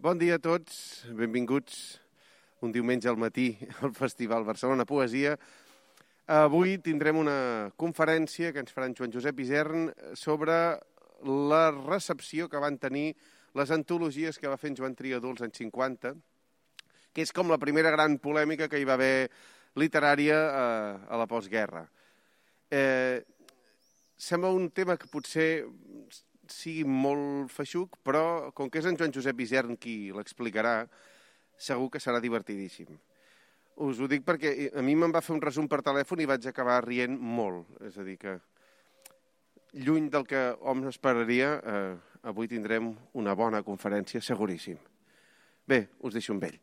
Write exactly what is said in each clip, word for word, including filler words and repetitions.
Bon dia a tots, benvinguts un diumenge al matí al Festival Barcelona Poesia. Avui tindrem una conferència que ens farà en Joan Josep Isern sobre la recepció que van tenir les antologies que va fer en Joan Triadú als anys cinquanta, que és com la primera gran polèmica que hi va haver literària a la postguerra. Eh, sembla un tema que potser sigui molt feixuc, però com que és en Joan Josep Isern qui l'explicarà, segur que serà divertidíssim. Us ho dic perquè a mi me'n va fer un resum per telèfon i vaig acabar rient molt. És a dir que, lluny del que hom esperaria, eh, avui tindrem una bona conferència, seguríssim. Bé, us deixo amb ell.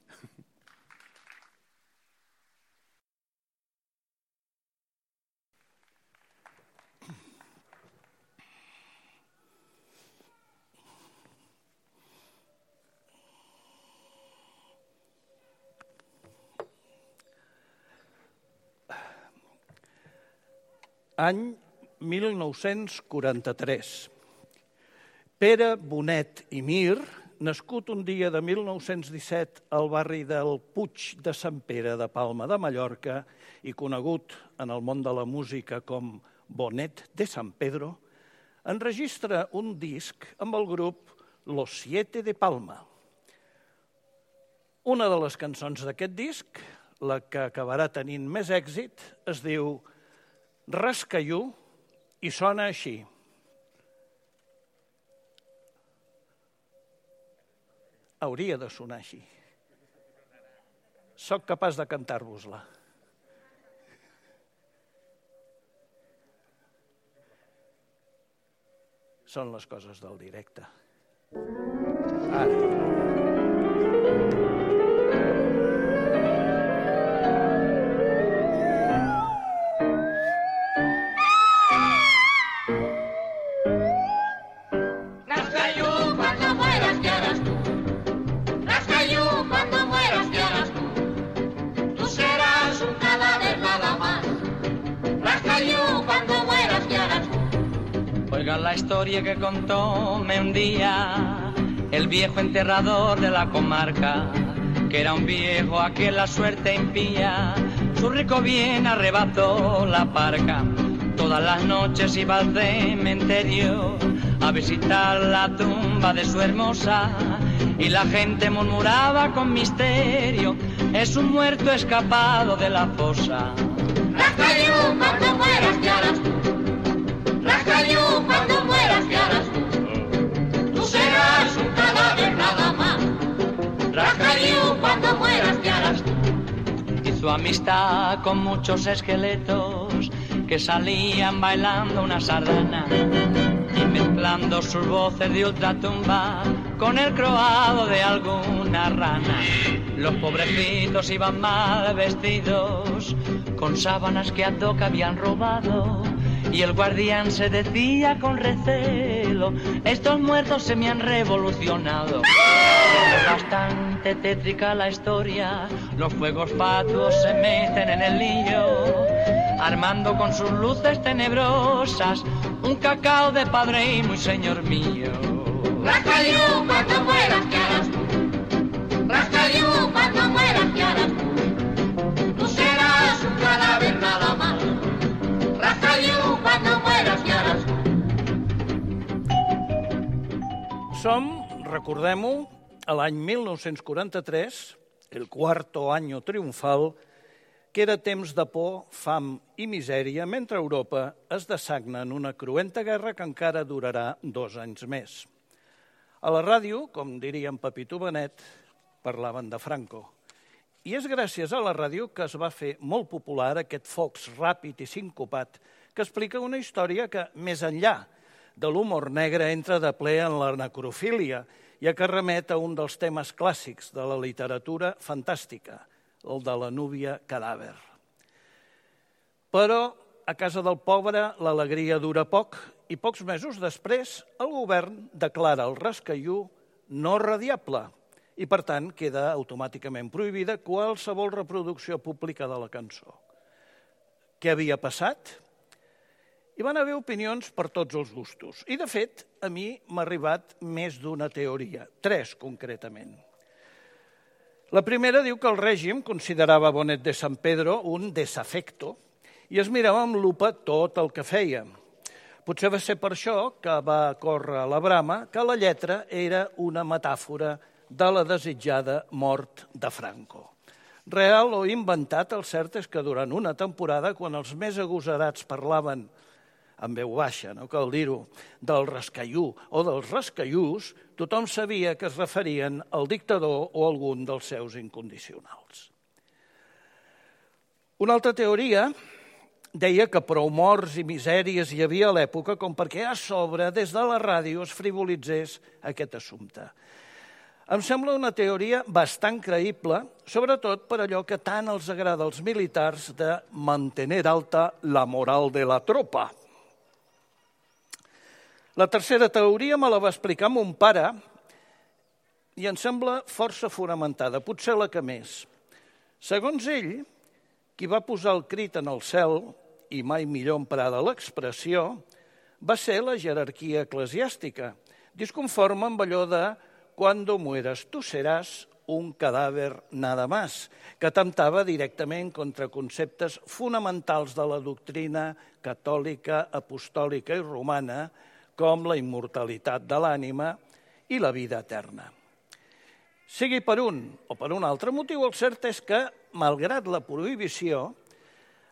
Any mil nou-cents quaranta-tres. Pere Bonet i Mir, nascut un dia de mil nou-cents disset al barri del Puig de Sant Pere de Palma de Mallorca i conegut en el món de la música com Bonet de San Pedro, enregistra un disc amb el grup Los Siete de Palma. Una de les cançons d'aquest disc, la que acabarà tenint més èxit, es diu Rascallú i sona així. Hauria de sonar així. Soc capaç de cantar-vos-la. Són les coses del directe. Ara. Oigan la historia que contóme un día el viejo enterrador de la comarca, que era un viejo a quien la suerte impía, su rico bien arrebató la parca. Todas las noches iba al cementerio a visitar la tumba de su hermosa y la gente murmuraba con misterio, es un muerto escapado de la fosa. Rascallú, cuando mueras, ¿qué harás tú? Rascallú, cuando mueras, ¿qué harás tú? Tú serás un cadáver nada más. Rascallú, cuando mueras, ¿qué harás tú? Hizo amistad con muchos esqueletos que salían bailando una sardana y mezclando sus voces de ultratumba con el croado de alguna rana. Los pobrecitos iban mal vestidos con sábanas que a toca habían robado y el guardián se decía con recelo, estos muertos se me han revolucionado. Es bastante tétrica la historia, los fuegos fatuos se meten en el lío, armando con sus luces tenebrosas un cacao de padre y muy señor mío. Rascallú, cuando mueras, ¿qué harás tú? Rascallú, cuando mueras, ¿qué harás tú? Tú serás un cadáver nada más. Rascallú, cuando mueras, ¿qué harás tú? Som, recordem-ho, a l'any mil nou-cents quaranta-tres, el cuarto año triomfal, que era temps de por, fam i misèria, mentre Europa es dessagna en una cruenta guerra que encara durarà dos anys més. A la ràdio, com diria en Pepito Benet, parlaven de Franco. I és gràcies a la ràdio que es va fer molt popular aquest fox ràpid i sincopat que explica una història que, més enllà de l'humor negre, entra de ple en la necrofília, ja que remet a un dels temes clàssics de la literatura fantàstica, el de la núvia cadàver. Però a casa del pobre l'alegria dura poc i pocs mesos després el govern declara el Rascallú no radiable i, per tant, queda automàticament prohibida qualsevol reproducció pública de la cançó. Què havia passat? Hi van haver opinions per tots els gustos. I, de fet, a mi m'ha arribat més d'una teoria, tres concretament. La primera diu que el règim considerava Bonet de San Pedro un desafecto i es mirava amb lupa tot el que feia. Potser va ser per això que va córrer la brama que la lletra era una metàfora de la desitjada mort de Franco. Real o inventat, el cert és que durant una temporada, quan els més agosarats parlaven amb veu baixa, no cal dir-ho, del rascallú o dels rascallús, tothom sabia que es referien al dictador o a algun dels seus incondicionals. Una altra teoria deia que prou morts i misèries hi havia a l'època com perquè a sobre, des de la ràdio, es frivolitzés aquest assumpte. Em sembla una teoria bastant creïble, sobretot per allò que tant els agrada als militars de mantenir alta la moral de la tropa. La tercera teoria me la va explicar mon pare i em sembla força fonamentada, potser la que més. Segons ell, qui va posar el crit en el cel, i mai millor emprada l'expressió, va ser la jerarquia eclesiàstica, disconforme amb allò de «Cuando mueras tú serás un cadàver nada más», que atemptava directament contra conceptes fonamentals de la doctrina catòlica, apostòlica i romana, com la immortalitat de l'ànima i la vida eterna. Sigui per un o per un altre motiu, el cert és que, malgrat la prohibició,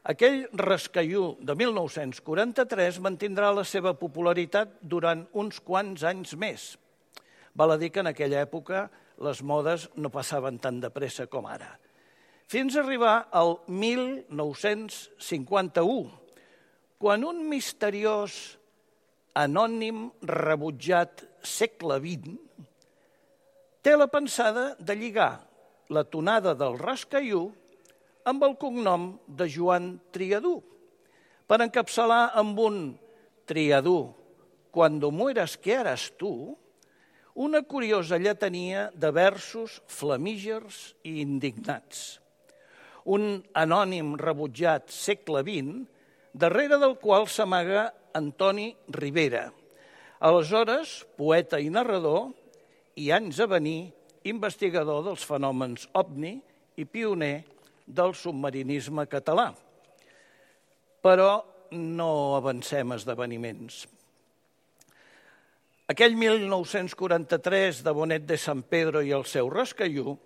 aquell rascallú de mil nou-cents quaranta-tres mantindrà la seva popularitat durant uns quants anys més. Val a dir que en aquella època les modes no passaven tan de pressa com ara. Fins a arribar al mil nou-cents cinquanta-u, quan un misteriós anònim rebutjat segle vint té la pensada de lligar la tonada del rascallú amb el cognom de Joan Triadú, per encapçalar amb un Triadú, «Cuando mueras, ¿qué harás tú?», una curiosa lletania de versos flamígers i indignats. Un anònim rebutjat segle vint, darrere del qual s'amaga Antoni Rivera, aleshores poeta i narrador i anys a venir investigador dels fenòmens ovni i pioner del submarinisme català. Però no avancem esdeveniments. Aquell mil nou-cents quaranta-tres de Bonet de San Pedro i el seu rascallú,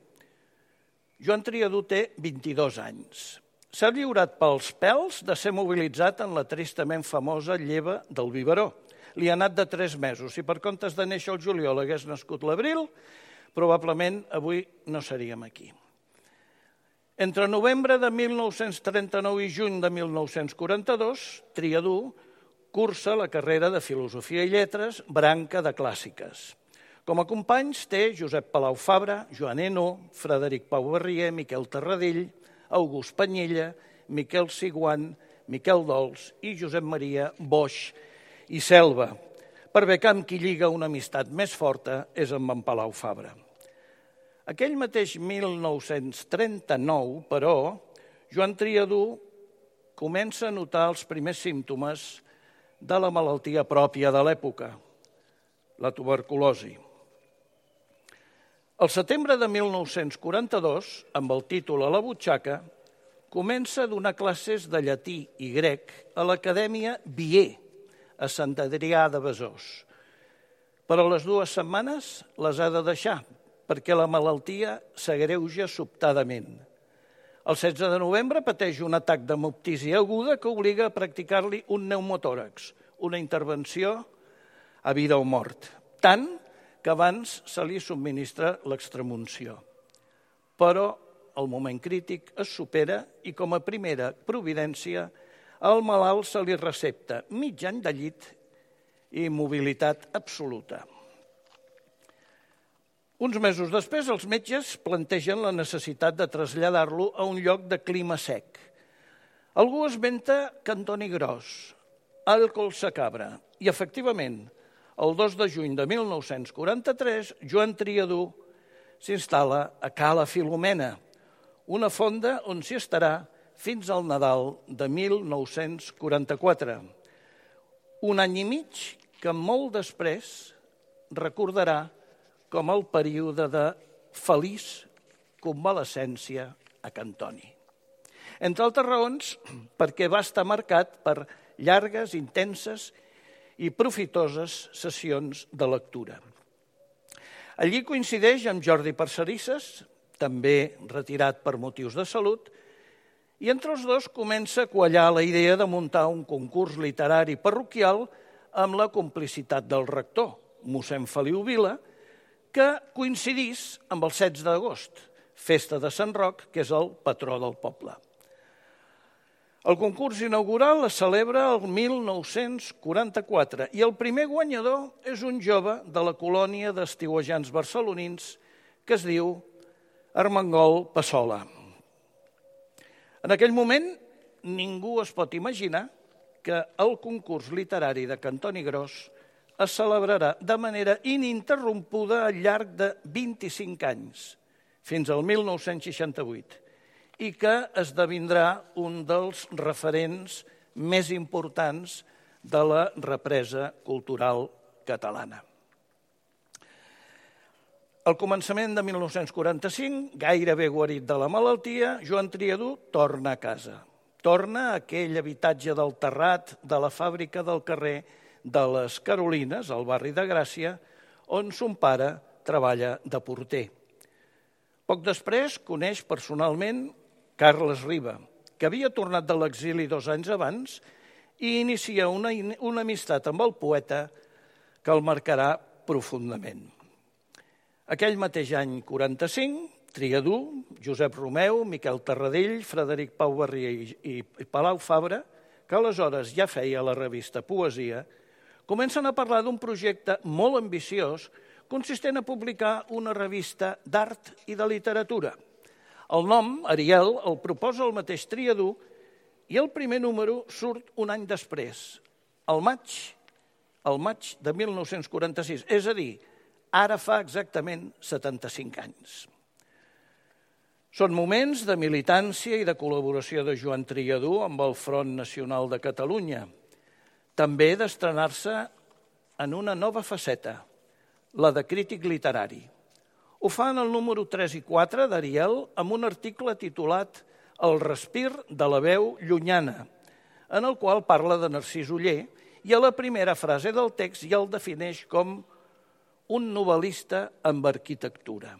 Joan Triadú té vint-i-dos anys. S'ha lliurat pels pèls de ser mobilitzat en la tristament famosa lleva del biberó. Li ha anat de tres mesos. Si per comptes de néixer el juliol hagués nascut l'abril, probablement avui no seríem aquí. Entre novembre de mil nou-cents trenta-nou i juny de mil nou-cents quaranta-dos, Triadú cursa la carrera de Filosofia i Lletres, branca de clàssiques. Com a companys té Josep Palau Fabra, Joan Eno, Frederic Pau Barrier, Miquel Tarradell, August Panyella, Miquel Siguant, Miquel Dols i Josep Maria Boix i Selva, per bé que amb qui lliga una amistat més forta és amb en Palau Fabra. Aquell mateix mil nou-cents trenta-nou, però, Joan Triadú comença a notar els primers símptomes de la malaltia pròpia de l'època, la tuberculosi. Al setembre de mil nou-cents quaranta-dos, amb el títol a la butxaca, comença a donar classes de llatí i grec a l'Acadèmia Vier, a Sant Adrià de Besòs. Però les dues setmanes les ha de deixar, perquè la malaltia s'agreuja sobtadament. El setze de novembre pateix un atac d'hemoptisi aguda que obliga a practicar-li un pneumotòrax, una intervenció a vida o mort, tant que abans se li subministra l'extremunció. Però el moment crític es supera i com a primera providència al malalt se li recepta mig any de llit i mobilitat absoluta. Uns mesos després, els metges plantegen la necessitat de traslladar-lo a un lloc de clima sec. Algú esmenta Cantoni Gros, al Collsacabra, i efectivament, el dos de juny de mil nou-cents quaranta-tres, Joan Triadú s'instal·la a Cala Filomena, una fonda on s'hi estarà fins al Nadal de mil nou-cents quaranta-quatre. Un any i mig que molt després recordarà com el període de feliç convalescència a Cantoni. Entre altres raons, perquè va estar marcat per llargues, intenses i profitoses sessions de lectura. Allí coincideix amb Jordi Parcerisses, també retirat per motius de salut, i entre els dos comença a quallar la idea de muntar un concurs literari parroquial amb la complicitat del rector, mossèn Feliu Vila, que coincidís amb el setze d'agost, festa de Sant Roc, que és el patró del poble. El concurs inaugural es celebra el mil nou-cents quaranta-quatre i el primer guanyador és un jove de la colònia d'estiuejants barcelonins que es diu Armengol Passola. En aquell moment ningú es pot imaginar que el concurs literari de Cantoni Gros es celebrarà de manera ininterrompuda al llarg de vint-i-cinc anys, fins al mil nou-cents seixanta-vuit, i que esdevindrà un dels referents més importants de la represa cultural catalana. Al començament de mil nou-cents quaranta-cinc, gairebé guarit de la malaltia, Joan Triadú torna a casa. Torna a aquell habitatge del terrat de la fàbrica del carrer de les Carolines, al barri de Gràcia, on son pare treballa de porter. Poc després coneix personalment Carles Riba, que havia tornat de l'exili dos anys abans i inicia una, una amistat amb el poeta que el marcarà profundament. Aquell mateix any quaranta-cinc, Triadú, Josep Romeu, Miquel Tarradell, Frederic Pau Barrier i, i Palau Fabra, que aleshores ja feia la revista Poesia, comencen a parlar d'un projecte molt ambiciós consistent a publicar una revista d'art i de literatura. El nom, Ariel, el proposa el mateix Triadú i el primer número surt un any després, al maig, al maig de mil nou-cents quaranta-sis, és a dir, ara fa exactament setanta-cinc anys. Són moments de militància i de col·laboració de Joan Triadú amb el Front Nacional de Catalunya, també d'estrenar-se en una nova faceta, la de crític literari. Ho fa en el número tres i quatre d'Ariel amb un article titulat El respir de la veu llunyana, en el qual parla de Narcís Oller i a la primera frase del text ja el defineix com un novel·lista amb arquitectura.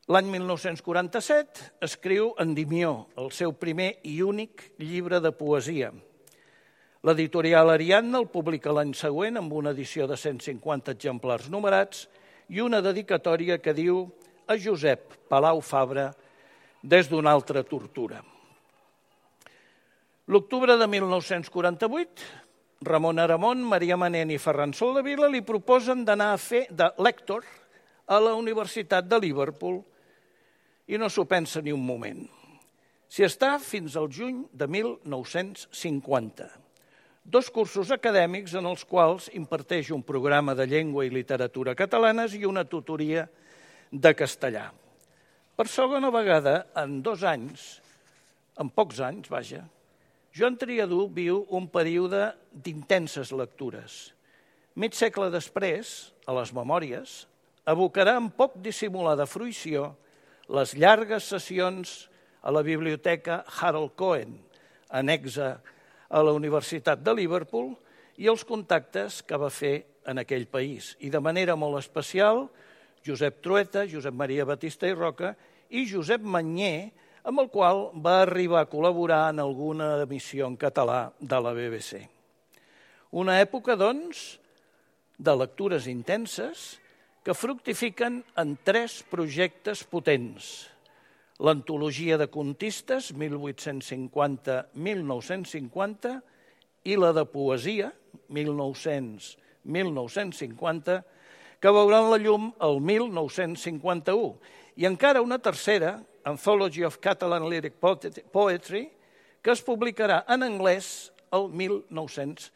L'any mil nou-cents quaranta-set escriu Endimió, el seu primer i únic llibre de poesia. L'editorial Ariadna el publica l'any següent amb una edició de cent cinquanta exemplars numerats i una dedicatòria que diu a Josep Palau Fabra des d'una altra tortura. L'octubre de mil nou-cents quaranta-vuit, Ramon Aramon, Maria Manent i Ferran Soldevila li proposen d'anar a fer de lector a la Universitat de Liverpool i no s'ho pensa ni un moment. S'hi està fins al juny de mil nou-cents cinquanta. Dos cursos acadèmics en els quals imparteix un programa de llengua i literatura catalanes i una tutoria de castellà. Per segona vegada, en dos anys, en pocs anys, vaja, Joan Triadú viu un període d'intenses lectures. Mig segle després, a les memòries, evocarà amb poc dissimulada fruïció les llargues sessions a la biblioteca Harold Cohen, anexa a la Universitat de Liverpool, i els contactes que va fer en aquell país. I de manera molt especial, Josep Trueta, Josep Maria Batista i Roca i Josep Manyer, amb el qual va arribar a col·laborar en alguna emissió en català de la B B C. Una època, doncs, de lectures intenses que fructifiquen en tres projectes potents. L'antologia de contistes, mil vuit-cents cinquanta a mil nou-cents cinquanta, i la de poesia, mil nou-cents a mil nou-cents cinquanta, que veuran la llum el mil nou-cents cinquanta-u. I encara una tercera, Anthology of Catalan Lyric Poetry, que es publicarà en anglès el mil nou-cents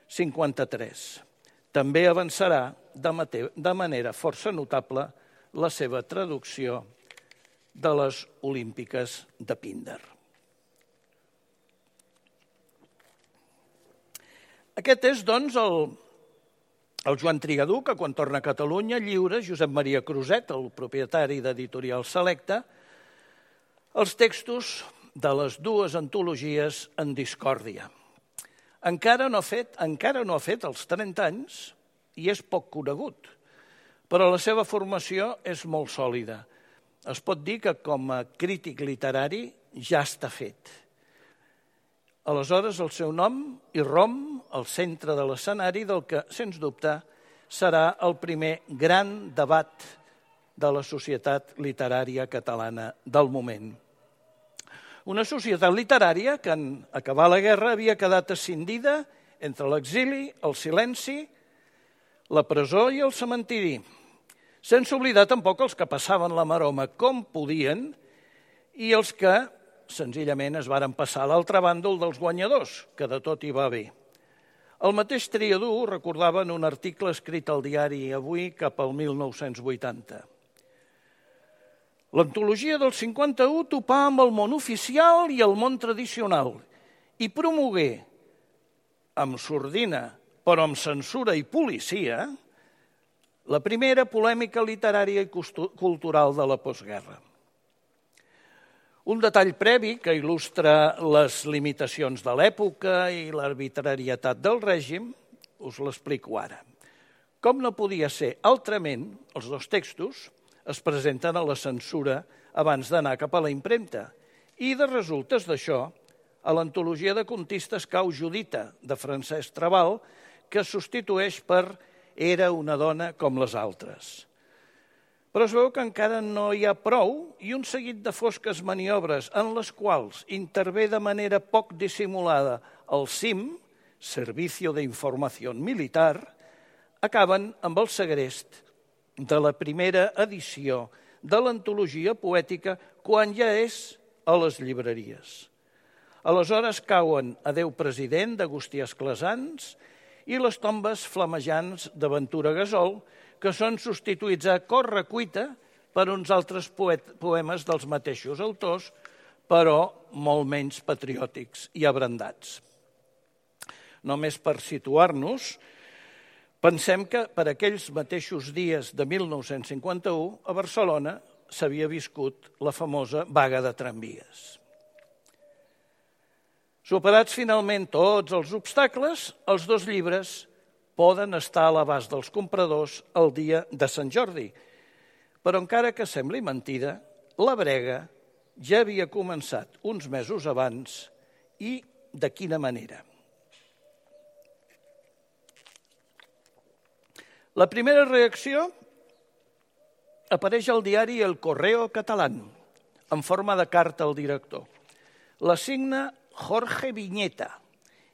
cinquanta-tres. També avançarà de manera força notable la seva traducció de les Olímpiques de Píndar. Aquest és, doncs, el, El Joan Trigadú, que quan torna a Catalunya lliura Josep Maria Cruzet, el propietari d'Editorial Selecta, els textos de les dues antologies en discòrdia. Encara no ha fet, encara no ha fet els trenta anys i és poc conegut, però la seva formació és molt sòlida. Es pot dir que com a crític literari ja està fet. Aleshores el seu nom irromp al centre de l'escenari del que, sens dubte, serà el primer gran debat de la societat literària catalana del moment. Una societat literària que, en acabar la guerra, havia quedat escindida entre l'exili, el silenci, la presó i el cementiri, sense oblidar tampoc els que passaven la maroma com podien i els que senzillament es varen passar a l'altre bàndol dels guanyadors, que de tot hi va bé. El mateix Triadú recordava en un article escrit al diari Avui cap al mil nou-cents vuitanta. L'antologia del cinquanta-u topà amb el món oficial i el món tradicional i promogué, amb sordina, però amb censura i policia, la primera polèmica literària i cultural de la postguerra. Un detall previ que il·lustra les limitacions de l'època i l'arbitrarietat del règim, us l'explico ara. Com no podia ser altrament, els dos textos es presenten a la censura abans d'anar cap a la impremta i de resultes d'això a l'antologia de contistes Cau Judita de Francesc Trabal, que es substitueix per Era una dona com les altres. Però es veu que encara no hi ha prou i un seguit de fosques maniobres en les quals intervé de manera poc dissimulada el C I M, Servicio de Información Militar, acaben amb el segrest de la primera edició de l'antologia poètica quan ja és a les llibreries. Aleshores cauen Adéu president d'Agustí Esclasans i les tombes flamejants de Ventura Gasol, que són substituïts a correcuita per uns altres poemes dels mateixos autors, però molt menys patriòtics i abrandats. Només per situar-nos, pensem que per aquells mateixos dies de mil nou-cents cinquanta-u a Barcelona s'havia viscut la famosa vaga de tramvies. Superats finalment tots els obstacles, els dos llibres poden estar a l'abast dels compradors el dia de Sant Jordi. Però encara que sembli mentida, la brega ja havia començat uns mesos abans i de quina manera. La primera reacció apareix al diari El Correo Catalán, en forma de carta al director. La signa Jorge Viñeta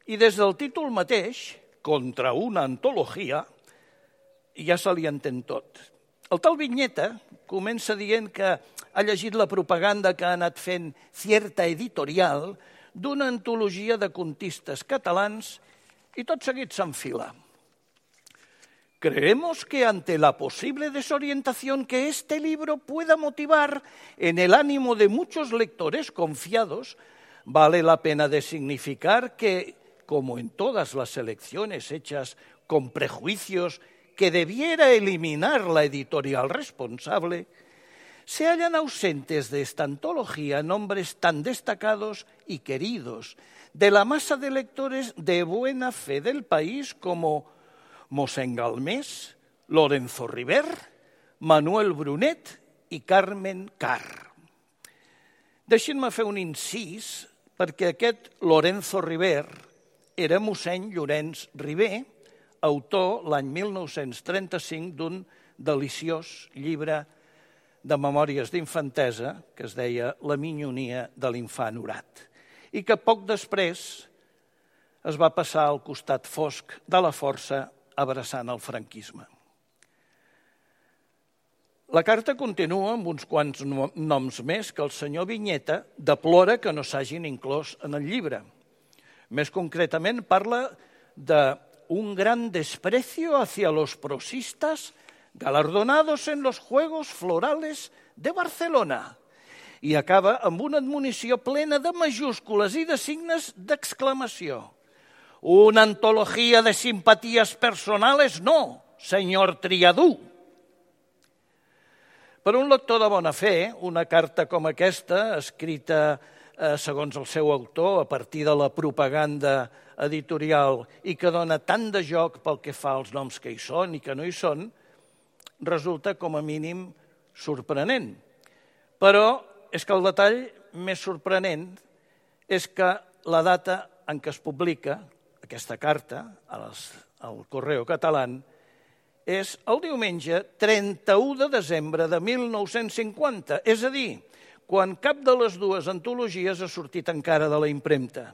i des del títol mateix, Contra una antologia, ja se li entén tot. El tal Viñeta comença dient que ha llegit la propaganda que ha anat fent Cierta Editorial d'una antologia de contistes catalans i tot seguit s'enfila. Creemos que ante la posible desorientación que este libro pueda motivar en el ánimo de muchos lectores confiados, vale la pena de significar que, como en todas las elecciones hechas con prejuicios que debiera eliminar la editorial responsable, se hallan ausentes de esta antología nombres tan destacados y queridos de la masa de lectores de buena fe del país como Mossèn Galmés, Lorenzo River, Manuel Brunet i Carmen Carr. Deixin-me fer un incís perquè aquest Lorenzo River era mossèn Llorenç River, autor l'any mil nou-cents trenta-cinc d'un deliciós llibre de memòries d'infantesa que es deia La minyonia de l'infant orat i que poc després es va passar al costat fosc de la força abraçant el franquisme. La carta continua amb uns quants noms més que el senyor Viñeta deplora que no s'hagin inclòs en el llibre. Més concretament parla d'un gran desprecio hacia los prosistas galardonados en los Juegos Florales de Barcelona i acaba amb una admonició plena de majúscules i de signes d'exclamació. Una antología de simpatías personales, no, senyor Triadú. Per un lector de bona fe, una carta com aquesta, escrita eh, segons el seu autor, a partir de la propaganda editorial i que dona tant de joc pel que fa als noms que hi són i que no hi són, resulta com a mínim sorprenent. Però és que el detall més sorprenent és que la data en què es publica aquesta carta al Correo Català és el diumenge trenta-u de desembre de mil nou-cents cinquanta, és a dir, quan cap de les dues antologies ha sortit encara de la impremta.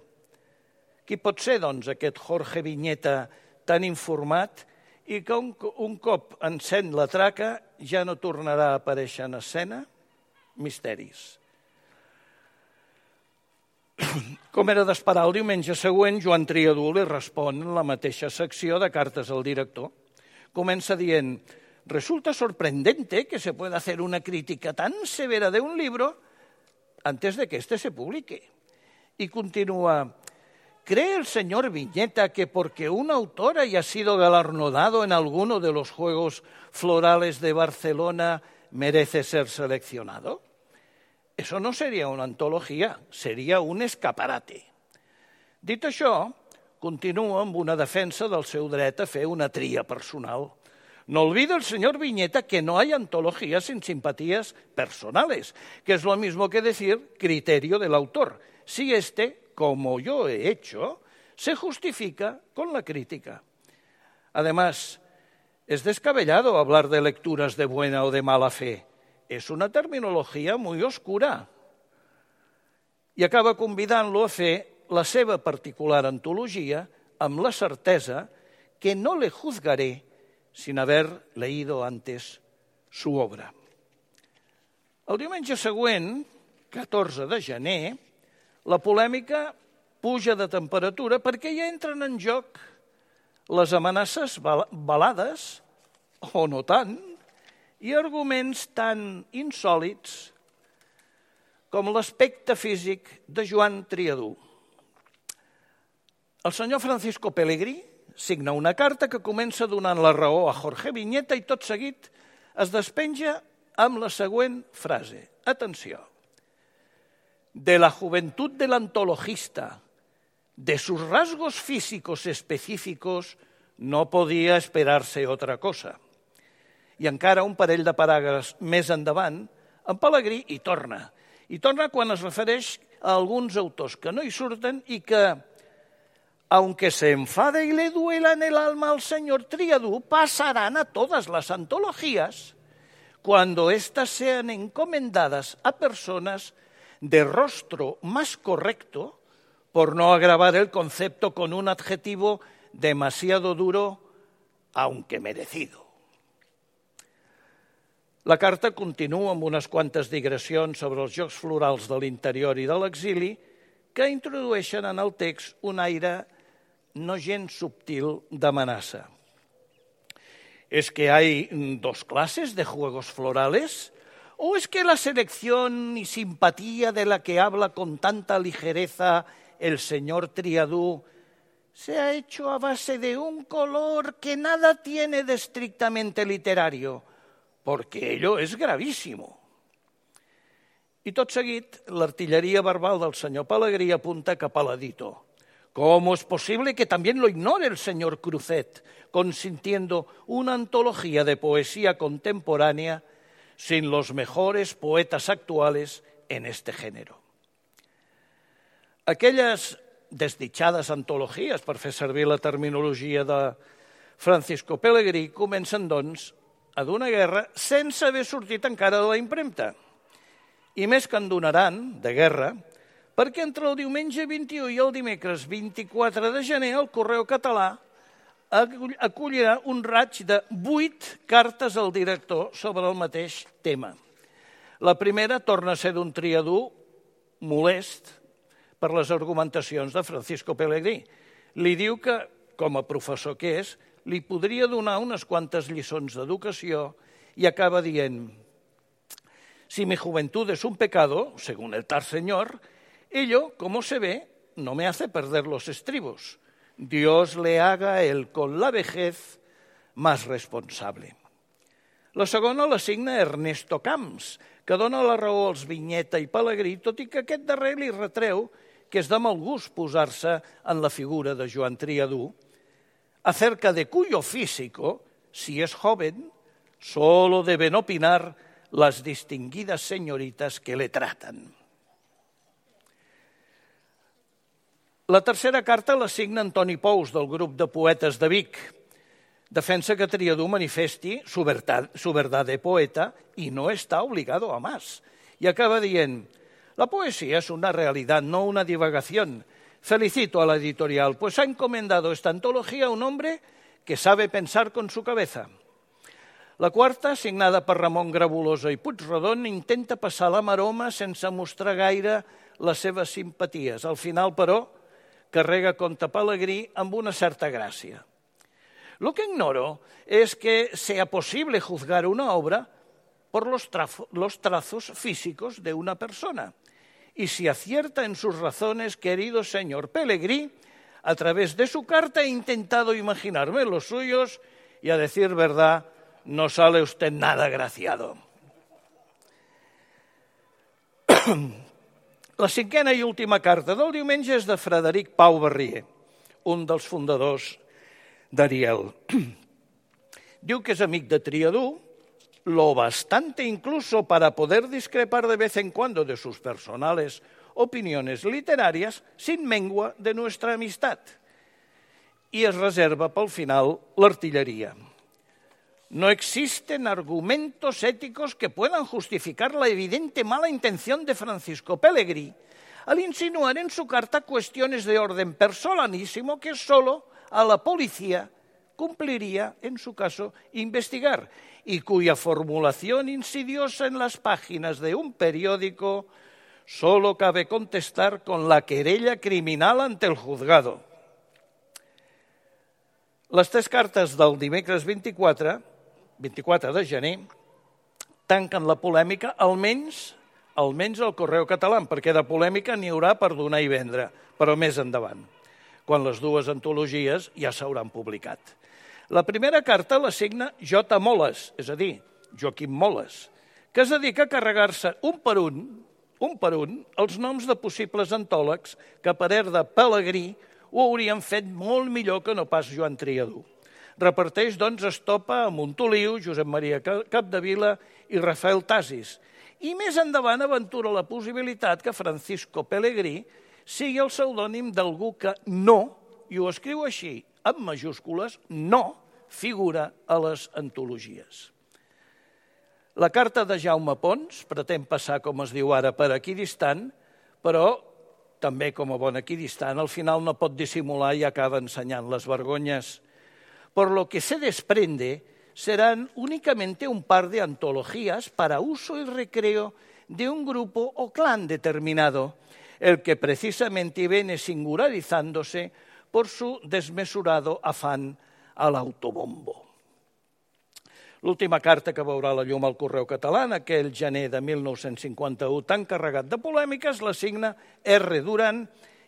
Qui pot ser, doncs, aquest Jorge Viñeta tan informat i que un, un cop encén la traca ja no tornarà a aparèixer en escena? Misteris. Com era d'esperar, el diumenge següent, Joan Triadú li respon en la mateixa secció de cartes al director. Comença dient, resulta sorprendente que se pueda hacer una crítica tan severa de un libro antes de que éste se publique. Y continúa, ¿cree el señor Viñeta que porque un autor haya sido galardonado en alguno de los Juegos Florales de Barcelona merece ser seleccionado? Eso no sería una antología, sería un escaparate. Dit això, continua amb una defensa del seu dret a fer una tria personal. No olvide el señor Viñeta que no hay antologías sin simpatías personales, que es lo mismo que decir criterio del autor. Si este, como yo he hecho, se justifica con la crítica. Además, es descabellado hablar de lecturas de buena o de mala fe. És una terminologia muy oscura. I acaba convidant-lo a fer la seva particular antologia amb la certesa que no le juzgaré sin haber leído antes su obra. El diumenge següent, catorze de gener, la polèmica puja de temperatura perquè ja entren en joc les amenaces velades, o no tant, i arguments tan insòlits com l'aspecte físic de Joan Triadú. El senyor Francisco Pelegrí signa una carta que comença donant la raó a Jorge Viñeta i tot seguit es despenja amb la següent frase. Atenció. De la juventud del antologista, de sus rasgos físicos específicos, no podía esperarse otra cosa. I encara un parell de paràgrafs més endavant, en Pelegrí hi torna. I torna quan es refereix a alguns autors que no hi surten i que, aunque se enfade y le duela en el alma al señor Triadú, pasarán a todas las antologías cuando éstas sean encomendadas a personas de rostro más correcto, por no agravar el concepto con un adjetivo demasiado duro, aunque merecido. La carta continua amb unes quantes digressions sobre els jocs florals de l'interior i de l'exili que introdueixen en el text un aire no gens subtil d'amenaça. ¿Es que hay dos clases de juegos florales? ¿O es que la selección y simpatía de la que habla con tanta ligereza el señor Triadú se ha hecho a base de un color que nada tiene de estrictamente literario? Porque ello es gravísimo. I tot seguit, l'artilleria verbal del senyor Pelegrí apunta cap a l'editor. ¿Cómo es posible que también lo ignore el señor Cruzet, consintiendo una antología de poesía contemporánea sin los mejores poetas actuales en este género? Aquelles desdichades antologies, per fer servir la terminologia de Francisco Pelegrí, comencen, doncs, a d'una guerra sense haver sortit encara de la impremta. I més que en donaran, de guerra, perquè entre el diumenge vint-i-u i el dimecres vint-i-quatre de gener el Correu Català acollirà un raig de vuit cartes al director sobre el mateix tema. La primera torna a ser d'un Triadú molest per les argumentacions de Francisco Pelegrí. Li diu que, com a professor que és, li podria donar unes quantes lliçons d'educació i acaba dient: si mi juventud es un pecado, según el tal señor, ello, como se ve, no me hace perder los estribos. Dios le haga él con la vejez más responsable. La segona la signa Ernesto Camps, que dona la raó als Vinyeta i Pelegrí, tot i que aquest darrer li retreu que és de mal gust posar-se en la figura de Joan Triadú, acerca de cuyo físico, si es joven, solo deben opinar las distinguidas señoritas que le tratan. La tercera carta la signa Antoni Pous, del grup de poetes de Vic. Defensa que Triadú manifesti su verdad, su verdad de poeta y no está obligado a más. Y acaba dient, la poesía es una realidad, no una divagación. Felicito a la editorial, pues ha encomendado esta antología a un hombre que sabe pensar con su cabeza. La quarta, signada per Ramon Grabulosa i Puigrodon, intenta passar la maroma sense mostrar gaire les seves simpaties. Al final, però, carrega contra Pelegrí amb una certa gràcia. Lo que ignoro es que sea posible juzgar una obra por los, trafo, los trazos físicos de una persona. Y si acierta en sus razones, querido señor Pelegrí, a través de su carta he intentado imaginarme los suyos y, a decir verdad, no sale usted nada agraciado. La cinquena i última carta del diumenge és de Frederic Pau Barrier, un dels fundadors d'Ariel. Diu que és amic de Triadú, lo bastante incluso para poder discrepar de vez en cuando de sus personales opiniones literarias sin mengua de nuestra amistad. Y es reserva pel final l'artilleria. No existen argumentos éticos que puedan justificar la evidente mala intención de Francisco Pelegrí al insinuar en su carta cuestiones de orden personalísimo que solo a la policía cumpliría, en su caso, investigar, y cuya formulación insidiosa en las páginas de un periódico solo cabe contestar con la querella criminal ante el juzgado. Les tres cartes del dimecres vint-i-quatre, vint-i-quatre de gener, tanquen la polèmica, almenys, almenys al Correu Català, perquè de polèmica n'hi haurà per donar i vendre, però més endavant, quan les dues antologies ja s'hauran publicat. La primera carta la signa J. Moles, és a dir, Joaquim Moles, que es dedica a carregar-se un per un, un per un, els noms de possibles antòlegs que, a parer de Pelegrí, ho haurien fet molt millor que no pas Joan Triadú. Reparteix, doncs, estopa a Montoliu, Josep Maria Capdevila i Rafael Tasis. I més endavant aventura la possibilitat que Francisco Pelegrí sigui el pseudònim d'algú que no, i ho escriu així, amb majúscules, no figura a les antologies. La carta de Jaume Pons pretén passar, com es diu ara, per equidistant, però també com a bon equidistant, al final no pot dissimular i acaba ensenyant les vergonyes. Por lo que se desprende serán únicamente un par de antologías para uso y recreo de un grupo o clan determinado, el que precisamente viene singularizándose por su desmesurado afán al autobombo. L'última carta que veurà la llum al Correu Català, aquell gener de mil nou-cents cinquanta-u tan carregat de polèmiques, la signa R. Duran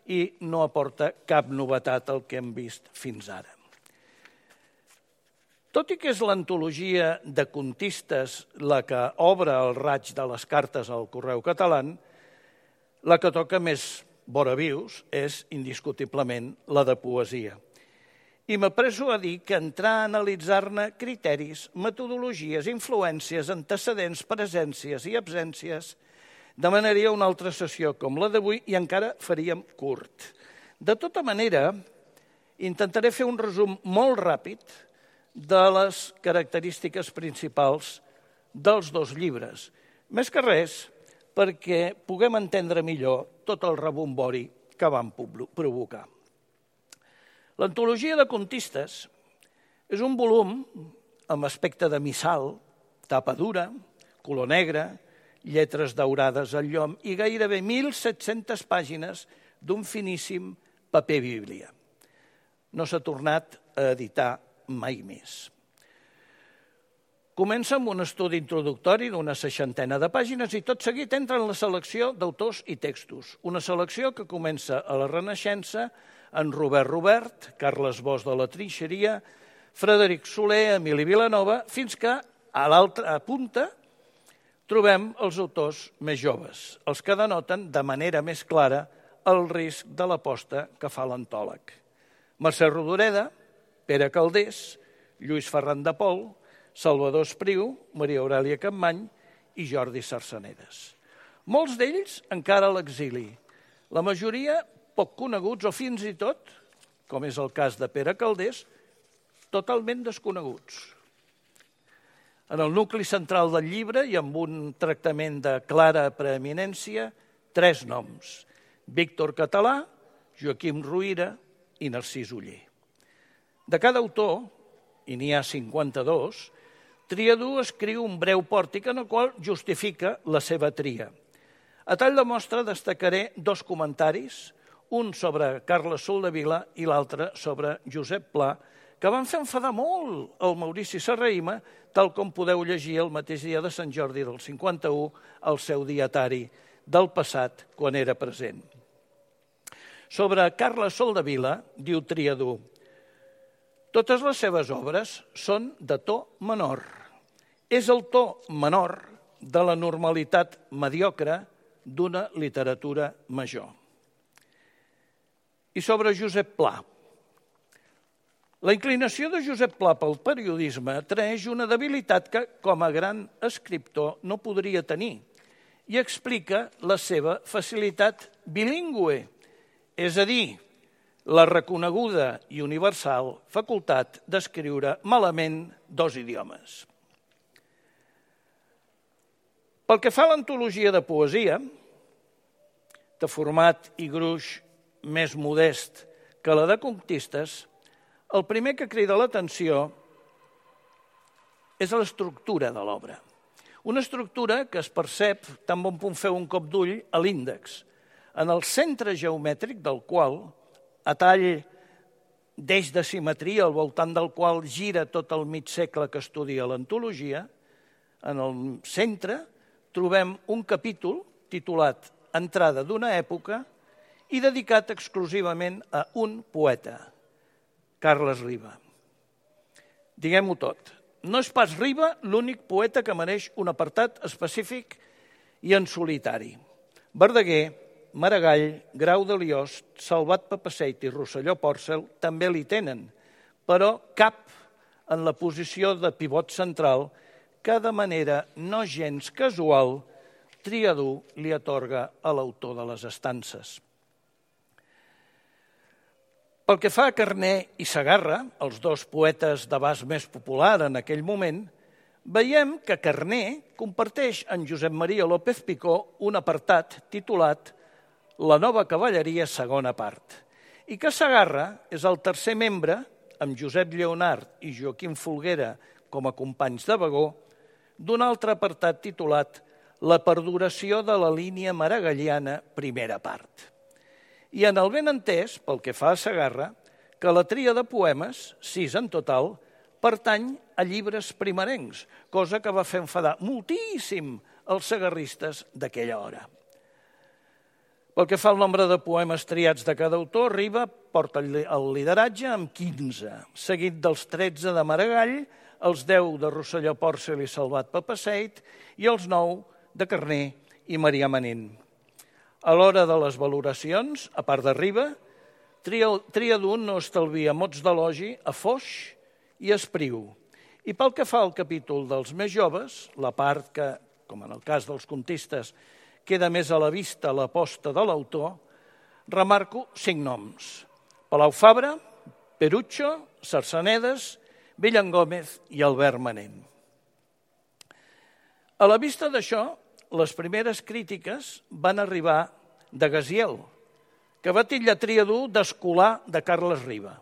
i no aporta cap novetat al que hem vist fins ara. Tot i que és l'antologia de contistes la que obre el raig de les cartes al Correu Català, la que toca més voravius és indiscutiblement la de poesia. I m'apresso a dir que entrar a analitzar-ne criteris, metodologies, influències, antecedents, presències i absències demanaria una altra sessió com la d'avui i encara faríem curt. De tota manera, intentaré fer un resum molt ràpid de les característiques principals dels dos llibres. Més que res, perquè puguem entendre millor tot el rebombori que van provocar. L'antologia de contistes és un volum amb aspecte de missal, tapa dura, color negre, lletres daurades al llom i gairebé mil set-centes pàgines d'un finíssim paper bíblia. No s'ha tornat a editar mai més. Comença amb un estudi introductori d'una seixantena de pàgines i tot seguit entra en la selecció d'autors i textos. Una selecció que comença a la Renaixença en Robert Robert, Carles Bosch de la Trinxeria, Frederic Soler, Emili Vilanova, fins que a l'altra punta trobem els autors més joves, els que denoten de manera més clara el risc de l'aposta que fa l'antòleg. Mercè Rodoreda, Pere Calders, Lluís Ferran de Pol, Salvador Espriu, Maria Aurèlia Capmany i Jordi Sarsenedes. Molts d'ells encara a l'exili, la majoria poc coneguts o fins i tot, com és el cas de Pere Calders, totalment desconeguts. En el nucli central del llibre i amb un tractament de clara preeminència, tres noms: Víctor Català, Joaquim Ruyra i Narcís Oller. De cada autor, i n'hi ha cinquanta-dos, Triadú escriu un breu pòrtic en el qual justifica la seva tria. A tall de mostra destacaré dos comentaris, un sobre Carles Soldevila i l'altre sobre Josep Pla, que van fer enfadar molt el Maurici Serrahima, tal com podeu llegir el mateix dia de Sant Jordi del cinquanta-u al seu dietari del passat, quan era present. Sobre Carles Soldevila, diu Triadú, totes les seves obres són de to menor. És el to menor de la normalitat mediocre d'una literatura major. I sobre Josep Pla. La inclinació de Josep Pla pel periodisme traeix una debilitat que, com a gran escriptor, no podria tenir i explica la seva facilitat bilingüe, és a dir, la reconeguda i universal facultat d'escriure malament dos idiomes. Pel que fa a l'antologia de poesia, de format i gruix més modest que la de contistes, el primer que crida l'atenció és l'estructura de l'obra. Una estructura que es percep tan bon punt fer un cop d'ull a l'índex, en el centre geomètric del qual, a tall d'eix de simetria al voltant del qual gira tot el mig segle que estudia l'antologia, en el centre trobem un capítol titulat Entrada d'una època i dedicat exclusivament a un poeta, Carles Riba. Diguem-ho tot, no és pas Riba l'únic poeta que mereix un apartat específic i en solitari. Verdaguer, Maragall, Grau de Liost, Salvat Papasseit i Rosselló Pòrcel també li tenen, però cap en la posició de pivot central que de manera no gens casual Triadú li atorga a l'autor de les estances. Pel que fa a Carner i Segarra, els dos poetes d'abast més popular en aquell moment, veiem que Carner comparteix amb Josep Maria López Picó un apartat titulat La nova cavalleria, segona part, i que Segarra és el tercer membre, amb Josep Lleonard i Joaquim Folguera com a companys de vagó, d'un altre apartat titulat La perduració de la línia maragalliana, primera part. I en el benentès, pel que fa a Segarra, que la tria de poemes, sis en total, pertany a llibres primerencs, cosa que va fer enfadar moltíssim els segarristes d'aquella hora. Pel que fa al nombre de poemes triats de cada autor, Riba porta el lideratge amb quinze, seguit dels tretze de Maragall, els deu de Rosselló Pòrcel i Salvat Papasseit i els nou de Carner i Marià Manent. A l'hora de les valoracions, a part de Riba, Triadú no estalvia mots d'elogi a Foix i Espriu. I pel que fa al capítol dels més joves, la part que, com en el cas dels contistes, queda més a la vista l'aposta de l'autor, remarco cinc noms: Palau Fabra, Perucho, Sarsenedes, Villan Gómez i Albert Manent. A la vista d'això, les primeres crítiques van arribar de Gaziel, que va titllar Triadú d'escolà de Carles Riba.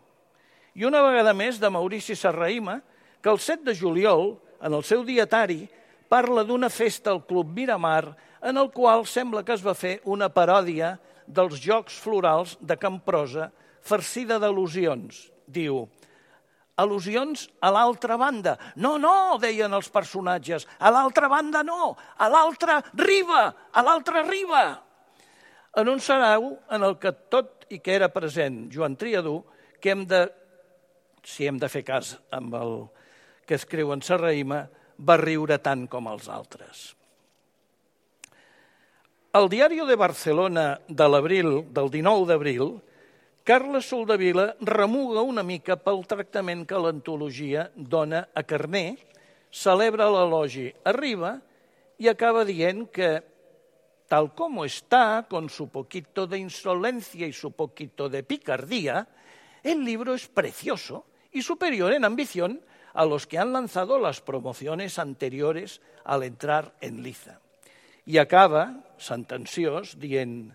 I una vegada més de Maurici Serrahima, que el set de juliol, en el seu dietari, parla d'una festa al Club Miramar en el qual sembla que es va fer una paròdia dels Jocs Florals de Camprosa farcida d'al·lusions. Diu, al·lusions a l'altra banda. No, no, deien els personatges, a l'altra banda no, a l'altra riba, a l'altra riba. En un sarau en el que tot i que era present Joan Triadú, que hem de, si hem de fer cas amb el que escriu en Serrahima, va riure tant com els altres. Al Diario de Barcelona de l'abril, del dinou d'abril, Carles Soldevila remuga una mica pel tractament que l'antologia dona a Carner, celebra l'elogi a Riba i acaba dient que, tal como está, con su poquito de insolencia y su poquito de picardía, el libro es precioso y superior en ambición a los que han lanzado las promociones anteriores al entrar en liza. I acaba, sentenciós, dient: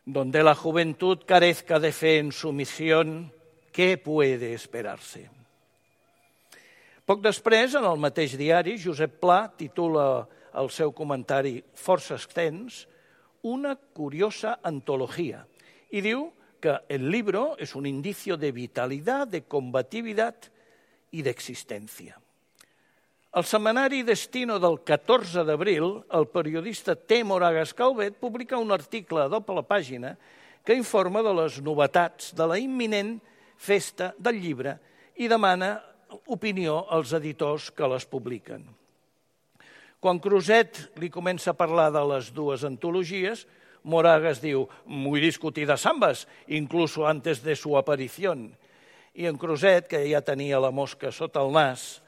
donde la juventud carezca de fe en su misión, ¿qué puede esperarse? Poc després, en el mateix diari, Josep Pla titula el seu comentari força extens una curiosa antología i diu que el libro es un indicio de vitalidad, de combatividad y de existencia. Al setmanari Destino del catorze d'abril, el periodista T. Moragas Calvet publica un article a doble pàgina que informa de les novetats de la imminent festa del llibre i demana opinió als editors que les publiquen. Quan Creuset li comença a parlar de les dues antologies, Moragas diu: muy discutidas ambas, incluso antes de su aparición. I en Creuset, que ja tenia la mosca sota el nas,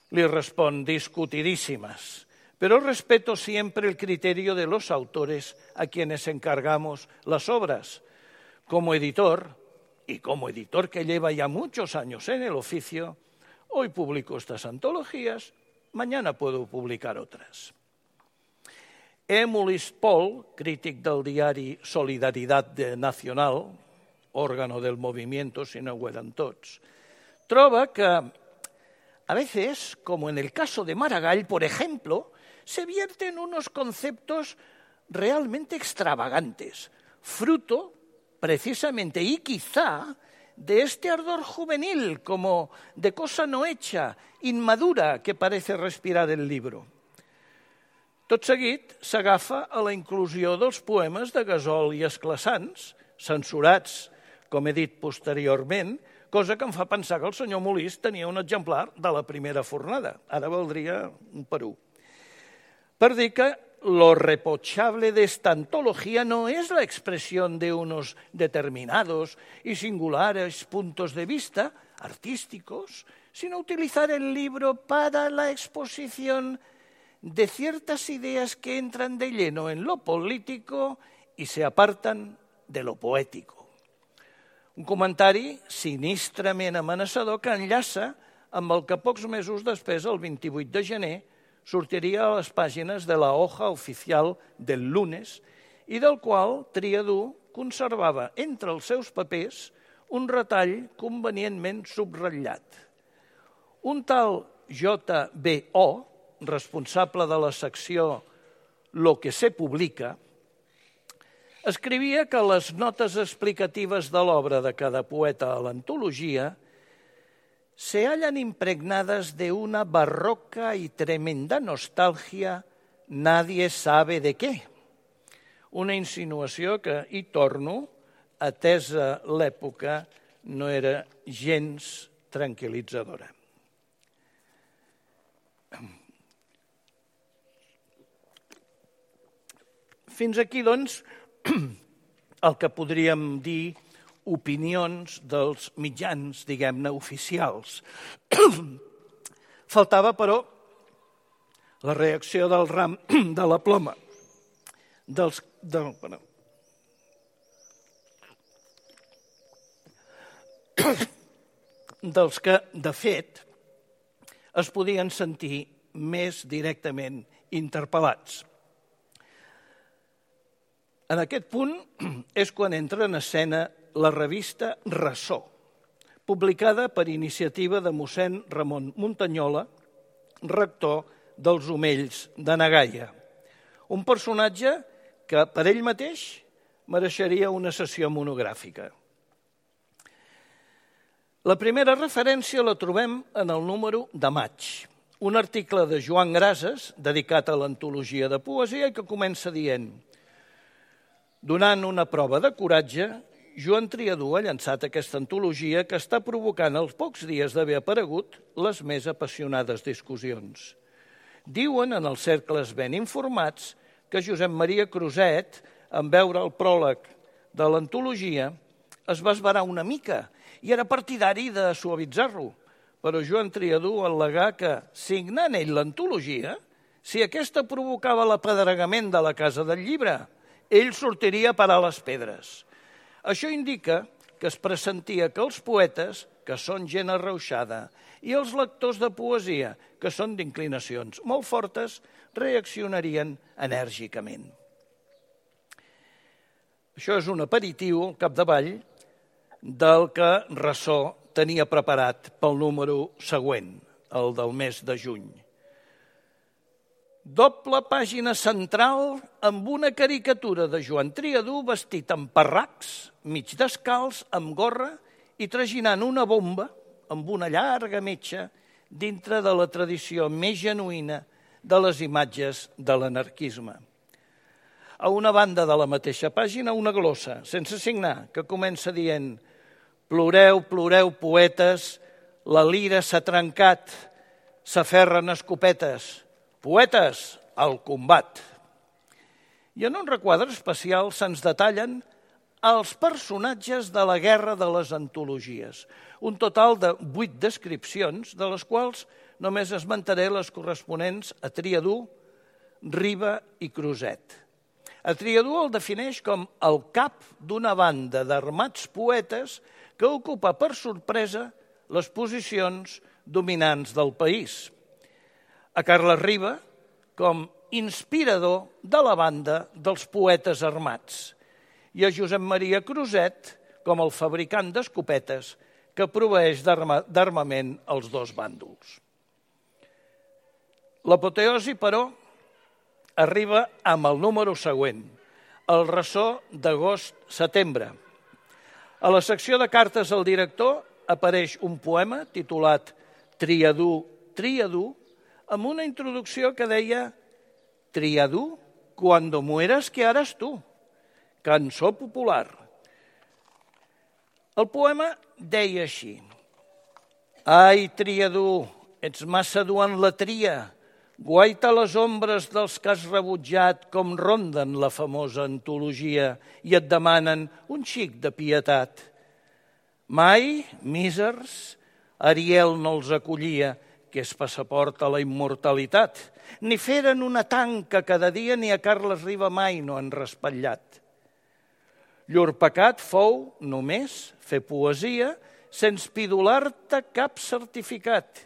le responde: discutidísimas, pero respeto siempre el criterio de los autores a quienes encargamos las obras. Como editor, y como editor que lleva ya muchos años en el oficio, hoy publico estas antologías, mañana puedo publicar otras. Émulis Paul, crític del diari Solidaridad Nacional, órgano del movimiento, si no ho eren tots, troba que a veces, como en el caso de Maragall, por ejemplo, se vierten unos conceptos realmente extravagantes, fruto, precisamente y quizá, de este ardor juvenil, como de cosa no hecha, inmadura, que parece respirar el libro. Tot seguit, s'agafa a la inclusió dels poemes de Gasol i Esclassans, censurats, com he dit posteriorment, cosa que em fa pensar que el senyor Molís tenia un exemplar de la primera fornada. Ara valdria un per un. Per dir que lo reprochable de esta antología no es la expresión de unos determinados y singulares puntos de vista artísticos, sino utilizar el libro para la exposición de ciertas ideas que entran de lleno en lo político y se apartan de lo poético. Un comentari sinistrament amenaçador que enllaça amb el que pocs mesos després, el vint-i-vuit de gener, sortiria a les pàgines de la hoja oficial del Lunes i del qual Triadú conservava entre els seus papers un retall convenientment subratllat. Un tal J B O, responsable de la secció Lo que se publica, escrivia que les notes explicatives de l'obra de cada poeta a l'antologia se hallan impregnadas de una barroca y tremenda nostalgia, nadie sabe de què. Una insinuació que, hi torno, atesa l'època, no era gens tranquil·litzadora. Fins aquí, doncs, el que podríem dir opinions dels mitjans, diguem-ne, oficials. Faltava, però, la reacció del ram de la ploma, dels, del, bueno, dels que, de fet, es podien sentir més directament interpel·lats. En aquest punt és quan entra en escena la revista Ressò, publicada per iniciativa de mossèn Ramon Muntanyola, rector dels Omells de Nagaia. Un personatge que per ell mateix mereixeria una sessió monogràfica. La primera referència la trobem en el número de maig, un article de Joan Grases dedicat a l'antologia de poesia i que comença dient: Donant una prova de coratge, Joan Triadú ha llançat aquesta antologia que està provocant als pocs dies d'haver aparegut les més apassionades discussions. Diuen en els cercles ben informats que Josep Maria Cruzet, en veure el pròleg de l'antologia, es va esverar una mica i era partidari de suavitzar-lo. Però Joan Triadú al·legà que, signant ell l'antologia, si aquesta provocava l'apedregament de la Casa del Llibre, ell sortiria a parar les pedres. Això indica que es pressentia que els poetes, que són gent arrauxada, i els lectors de poesia, que són d'inclinacions molt fortes, reaccionarien enèrgicament. Això és un aperitiu, al capdavall, del que Ressò tenia preparat pel número següent, el del mes de juny. Doble pàgina central amb una caricatura de Joan Triadú vestit amb parracs, mig descalç, amb gorra i traginant una bomba amb una llarga metxa dintre de la tradició més genuïna de les imatges de l'anarquisme. A una banda de la mateixa pàgina, una glossa, sense signar, que comença dient: «Ploreu, ploreu, poetes, la lira s'ha trencat, s'aferren escopetes. Poetes, al combat!» I en un requadre especial se'ns detallen els personatges de la guerra de les antologies. Un total de vuit descripcions, de les quals només esmentaré les corresponents a Triadú, Riba i Cruzet. A Triadú el defineix com el cap d'una banda d'armats poetes que ocupa per sorpresa les posicions dominants del país. A Carles Riba com inspirador de la banda dels poetes armats i a Josep Maria Cruzet com el fabricant d'escopetes que proveeix d'armament als dos bàndols. L'apoteosi, però, arriba amb el número següent, el Ressò d'agost-setembre. A la secció de cartes al director apareix un poema titulat Triadú, Triadú, amb una introducció que deia «Triadú, cuando mueras, ¿qué harás tú?» Cançó popular. El poema deia així: «Ai, Triadú, ets massa dur en la tria, guaita les ombres dels que has rebutjat com ronden la famosa antologia i et demanen un xic de pietat. Mai, mísers, Ariel no els acollia, que és passaport a la immortalitat, ni feren una tanca cada dia ni a Carles Riba mai no han raspallat. Llur pecat fou, només, fer poesia sense pidolar-te cap certificat,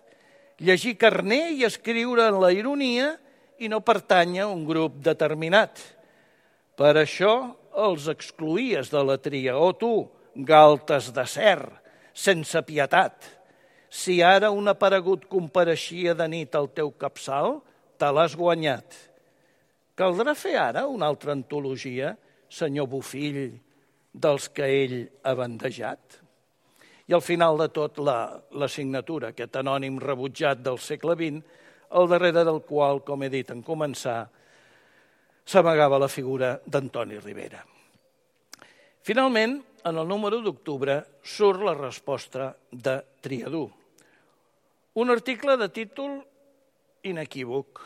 llegir carner i escriure en la ironia i no pertànyer a un grup determinat. Per això els excloïes de la tria, o tu, galtes de cer, sense pietat. Si ara un aparegut compareixia de nit al teu capçal, te l'has guanyat. Caldrà fer ara una altra antologia, senyor Bofill, dels que ell ha bandejat? I al final de tot, la, la signatura, aquest anònim rebutjat del segle vint, al darrere del qual, com he dit en començar, s'amagava la figura d'Antoni Rivera. Finalment, en el número d'octubre, surt la resposta de Triadú. Un article de títol inequívoc,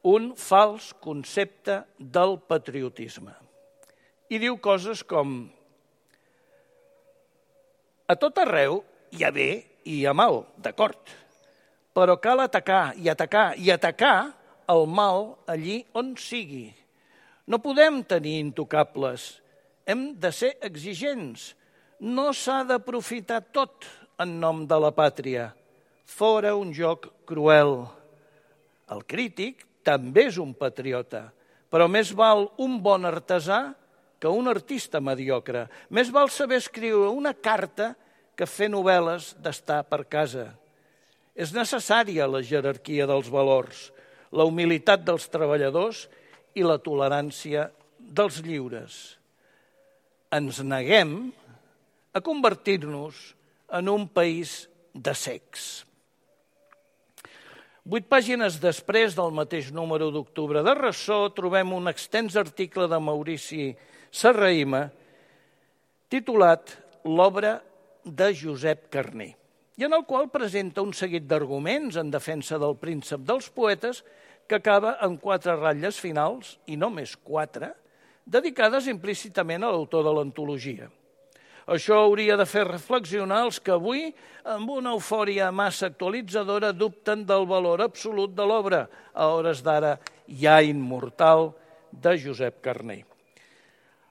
un fals concepte del patriotisme. I diu coses com: a tot arreu hi ha bé i hi ha mal, d'acord, però cal atacar i atacar i atacar el mal allí on sigui. No podem tenir intocables, hem de ser exigents. No s'ha d'aprofitar tot en nom de la pàtria. Fora un joc cruel. El crític també és un patriota, però més val un bon artesà que un artista mediocre. Més val saber escriure una carta que fer novel·les d'estar per casa. És necessària la jerarquia dels valors, la humilitat dels treballadors i la tolerància dels lliures. Ens neguem a convertir-nos en un país de cecs. Vuit pàgines després del mateix número d'octubre de Ressò trobem un extens article de Maurici Serrahima titulat L'obra de Josep Carner, i en el qual presenta un seguit d'arguments en defensa del príncep dels poetes que acaba en quatre ratlles finals, i només quatre, dedicades implícitament a l'autor de l'antologia. Això hauria de fer reflexionar els que avui, amb una eufòria massa actualitzadora, dubten del valor absolut de l'obra, a hores d'ara ja immortal, de Josep Carner.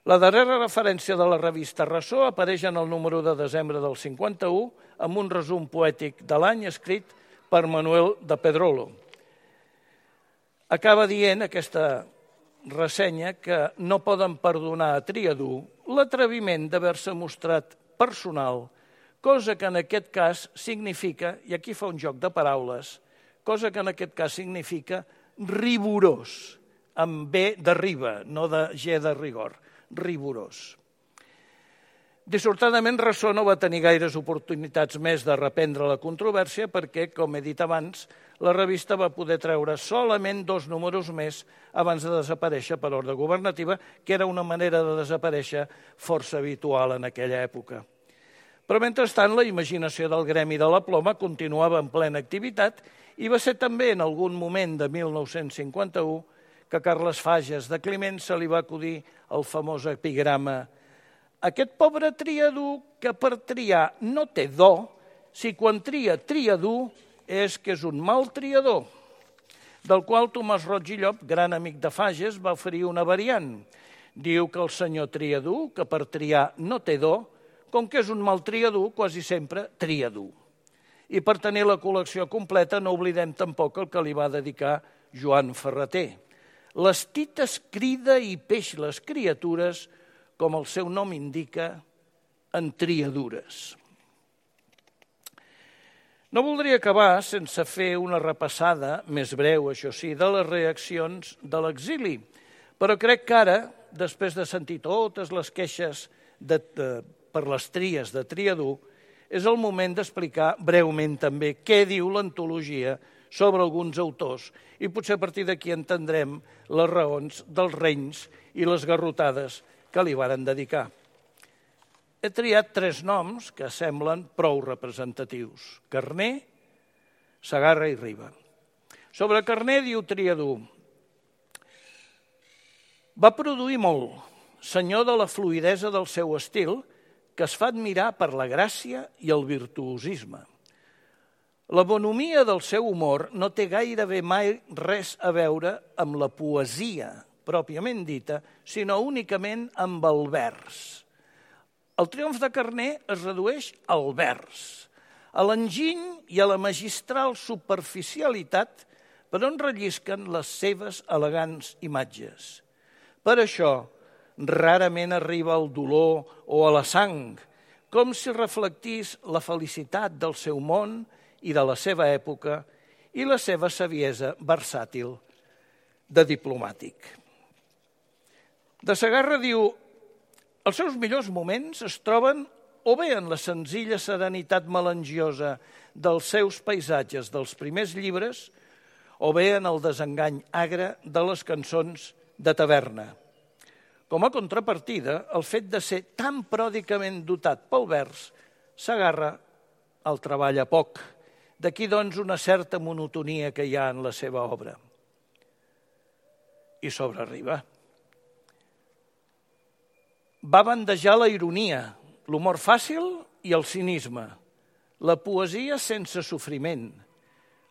La darrera referència de la revista Ressò apareix en el número de desembre del cinquanta-u amb un resum poètic de l'any escrit per Manuel de Pedrolo. Acaba dient aquesta ressenya que no poden perdonar a Triadú l'atreviment d'haver-se mostrat personal, cosa que en aquest cas significa, i aquí fa un joc de paraules, cosa que en aquest cas significa rigorós, amb B de riba, no de G de rigor, rigorós. Dissortadament, Ressò no va tenir gaires oportunitats més de reprendre la controvèrsia perquè, com he dit abans, la revista va poder treure solament dos números més abans de desaparèixer per ordre governativa, que era una manera de desaparèixer força habitual en aquella època. Però, mentrestant, la imaginació del gremi de la ploma continuava en plena activitat i va ser també en algun moment de mil nou-cents cinquanta-u que a Carles Fages de Climent se li va acudir el famós epigrama «Aquest pobre triadú que per triar no té do, si quan tria triadú és que és un mal triador», del qual Tomàs Roig i Llop, gran amic de Fages, va oferir una variant. Diu que el senyor triadú, que per triar no té do, com que és un mal triadú, quasi sempre triadú. I per tenir la col·lecció completa no oblidem tampoc el que li va dedicar Joan Ferreter. Les tites crida i peix les criatures, com el seu nom indica, en triadures. No voldria acabar sense fer una repassada, més breu, això sí, de les reaccions de l'exili, però crec que ara, després de sentir totes les queixes de, de, per les tries de Triadú, és el moment d'explicar breument també què diu l'antologia sobre alguns autors i potser a partir d'aquí entendrem les raons dels renys i les garrotades que li varen dedicar. He triat tres noms que semblen prou representatius: Carner, Segarra i Riba. Sobre Carner diu Triadú: va produir molt, senyor de la fluïdesa del seu estil, que es fa admirar per la gràcia i el virtuosisme. La bonomia del seu humor no té gairebé mai res a veure amb la poesia pròpiament dita, sinó únicament amb el vers. El triomf de Carner es redueix al vers, a l'enginy i a la magistral superficialitat per on rellisquen les seves elegants imatges. Per això, rarament arriba al dolor o a la sang, com si reflectís la felicitat del seu món i de la seva època i la seva saviesa versàtil de diplomàtic. De Segarra diu: els seus millors moments es troben o bé en la senzilla serenitat melangiosa dels seus paisatges dels primers llibres, o bé en el desengany agre de les cançons de taverna. Com a contrapartida, el fet de ser tan pròdigament dotat pel vers, Segarra el treballa poc. D'aquí, doncs, una certa monotonia que hi ha en la seva obra. I sobre Riba. Va bandejar la ironia, l'humor fàcil i el cinisme, la poesia sense sofriment,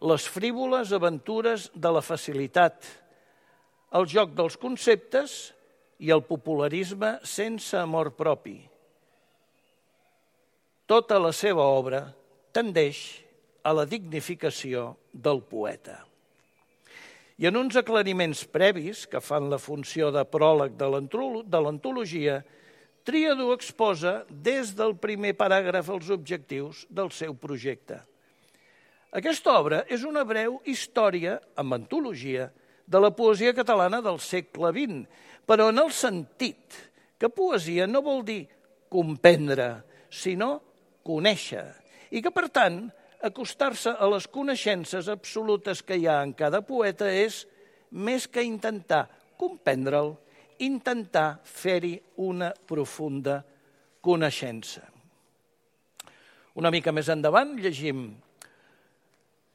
les frívoles aventures de la facilitat, el joc dels conceptes i el popularisme sense amor propi. Tota la seva obra tendeix a la dignificació del poeta. I en uns aclariments previs que fan la funció de pròleg de l'antologia, Triadú exposa des del primer paràgraf els objectius del seu projecte. Aquesta obra és una breu història, amb antologia, de la poesia catalana del segle vint, però en el sentit que poesia no vol dir comprendre, sinó conèixer, i que, per tant, acostar-se a les coneixences absolutes que hi ha en cada poeta és més que intentar comprendre'l, intentar fer-hi una profunda coneixença. Una mica més endavant llegim,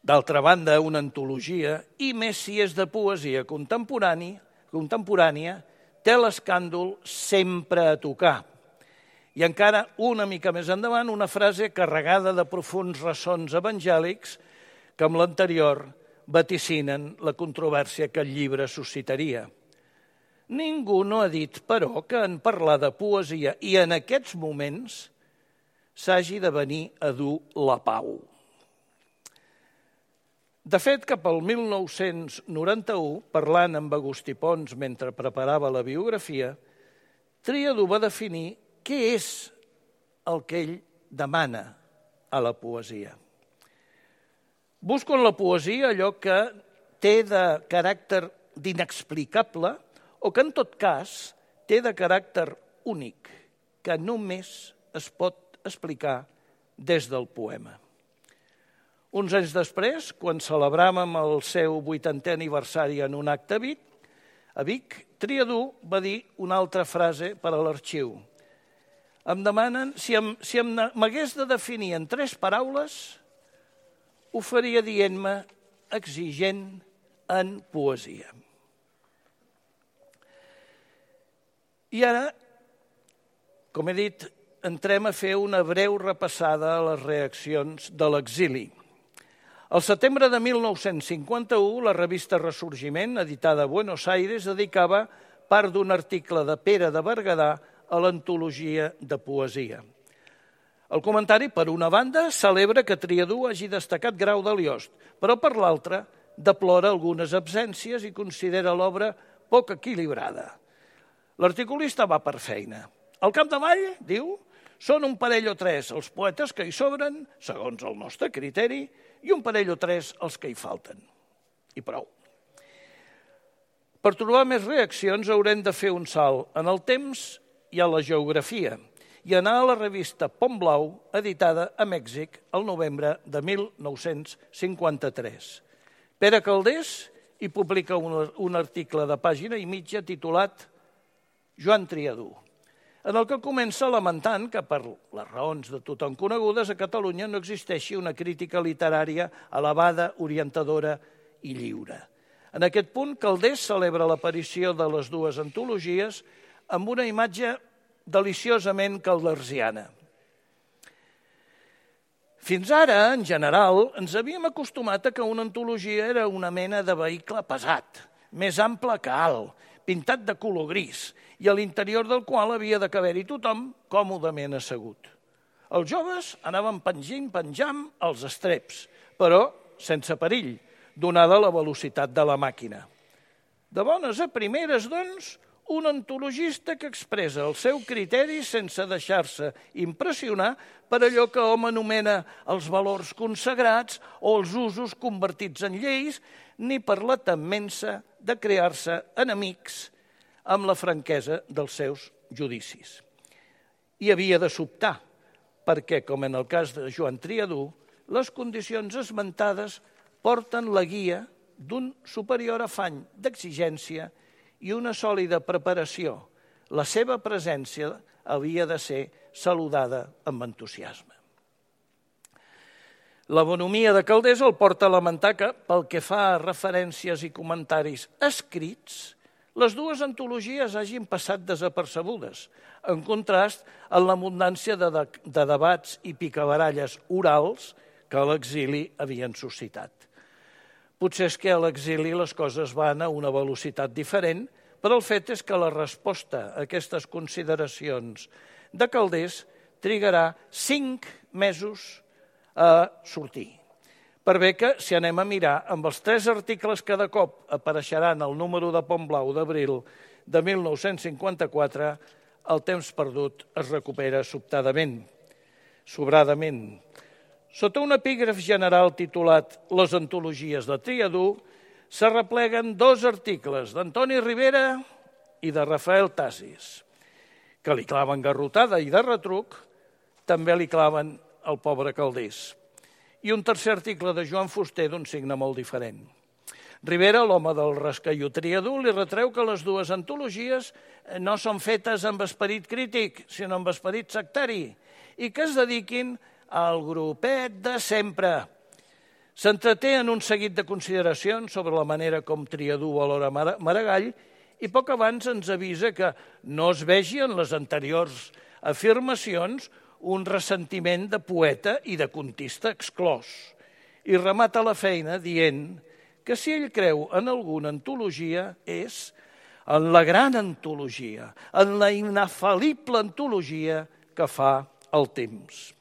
d'altra banda, una antologia, i més si és de poesia contemporània, contemporània té l'escàndol sempre a tocar. I encara una mica més endavant, una frase carregada de profunds ressons evangèlics que amb l'anterior vaticinen la controvèrsia que el llibre suscitaria. Ningú no ha dit, però, que en parlar de poesia i en aquests moments s'hagi de venir a dur la pau. De fet, cap al mil nou-cents noranta-u, parlant amb Agustí Pons mentre preparava la biografia, Triadú va definir què és el que ell demana a la poesia. Busco en la poesia allò que té de caràcter d'inexplicable o que, en tot cas, té de caràcter únic, que només es pot explicar des del poema. Uns anys després, quan celebràvem el seu vuitantè aniversari en un acte a Vic, a Vic, Triadú va dir una altra frase per a l'arxiu. Em demanen, si si m'hagués de definir en tres paraules, ho faria dient-me exigent en poesia. I ara, com he dit, entrem a fer una breu repassada a les reaccions de l'exili. Al setembre de mil nou-cents cinquanta-u, la revista Ressorgiment, editada a Buenos Aires, dedicava part d'un article de Pere de Berguedà a l'antologia de poesia. El comentari, per una banda, celebra que Triadú hagi destacat Grau de Liost, però per l'altra, deplora algunes absències i considera l'obra poc equilibrada. L'articulista va per feina. Al capdavall, diu, són un parell o tres els poetes que hi sobren, segons el nostre criteri, i un parell o tres els que hi falten. I prou. Per trobar més reaccions haurem de fer un salt en el temps i a la geografia i anar a la revista Pont Blau, editada a Mèxic el novembre de mil nou-cents cinquanta-tres. Pere Calders hi publica un, un article de pàgina i mitja titulat Joan Triadú, en el que comença lamentant que, per les raons de tothom conegudes, a Catalunya no existeixi una crítica literària elevada, orientadora i lliure. En aquest punt, Calders celebra l'aparició de les dues antologies amb una imatge deliciosament caldersiana. Fins ara, en general, ens havíem acostumat a que una antologia era una mena de vehicle pesat, més ample que alt, pintat de color gris, i a l'interior del qual havia de caber-hi tothom còmodament assegut. Els joves anaven pengint, penjant els estreps, però sense perill, donada la velocitat de la màquina. De bones a primeres, doncs, un antologista que expressa el seu criteri sense deixar-se impressionar per allò que hom anomena els valors consagrats o els usos convertits en lleis, ni per la temença de crear-se enemics amb la franquesa dels seus judicis. I havia de sobtar, perquè, com en el cas de Joan Triadú, les condicions esmentades porten la guia d'un superior afany d'exigència i una sòlida preparació. La seva presència havia de ser saludada amb entusiasme. La bonomia de Calders el porta a lamentar que, pel que fa a referències i comentaris escrits, les dues antologies hagin passat desapercebudes, en contrast amb l'abundància de, de, de debats i picabaralles orals que a l'exili havien suscitat. Potser és que a l'exili les coses van a una velocitat diferent, però el fet és que la resposta a aquestes consideracions de Calders trigarà cinc mesos a sortir. Per bé que, si anem a mirar, amb els tres articles que de cop apareixeran al número de Pont Blau d'abril de mil nou-cents cinquanta-quatre, el temps perdut es recupera sobtadament, sobradament. Sota un epígraf general titulat Les antologies de Triadú, s'arrepleguen dos articles d'Antoni Rivera i de Rafael Tasis, que li claven garrotada i de retruc, també li claven al pobre Calders. i un tercer article de Joan Fuster d'un signe molt diferent. Rivera, l'home del rascaió triadú, li retreu que les dues antologies no són fetes amb esperit crític, sinó amb esperit sectari, i que es dediquin al grupet de sempre. S'entreté en un seguit de consideracions sobre la manera com Triadú valora Maragall i poc abans ens avisa que no es vegi en les anteriors afirmacions un ressentiment de poeta i de contista exclòs. I remata la feina dient que si ell creu en alguna antologia és en la gran antologia, en la inafalible antologia que fa el temps.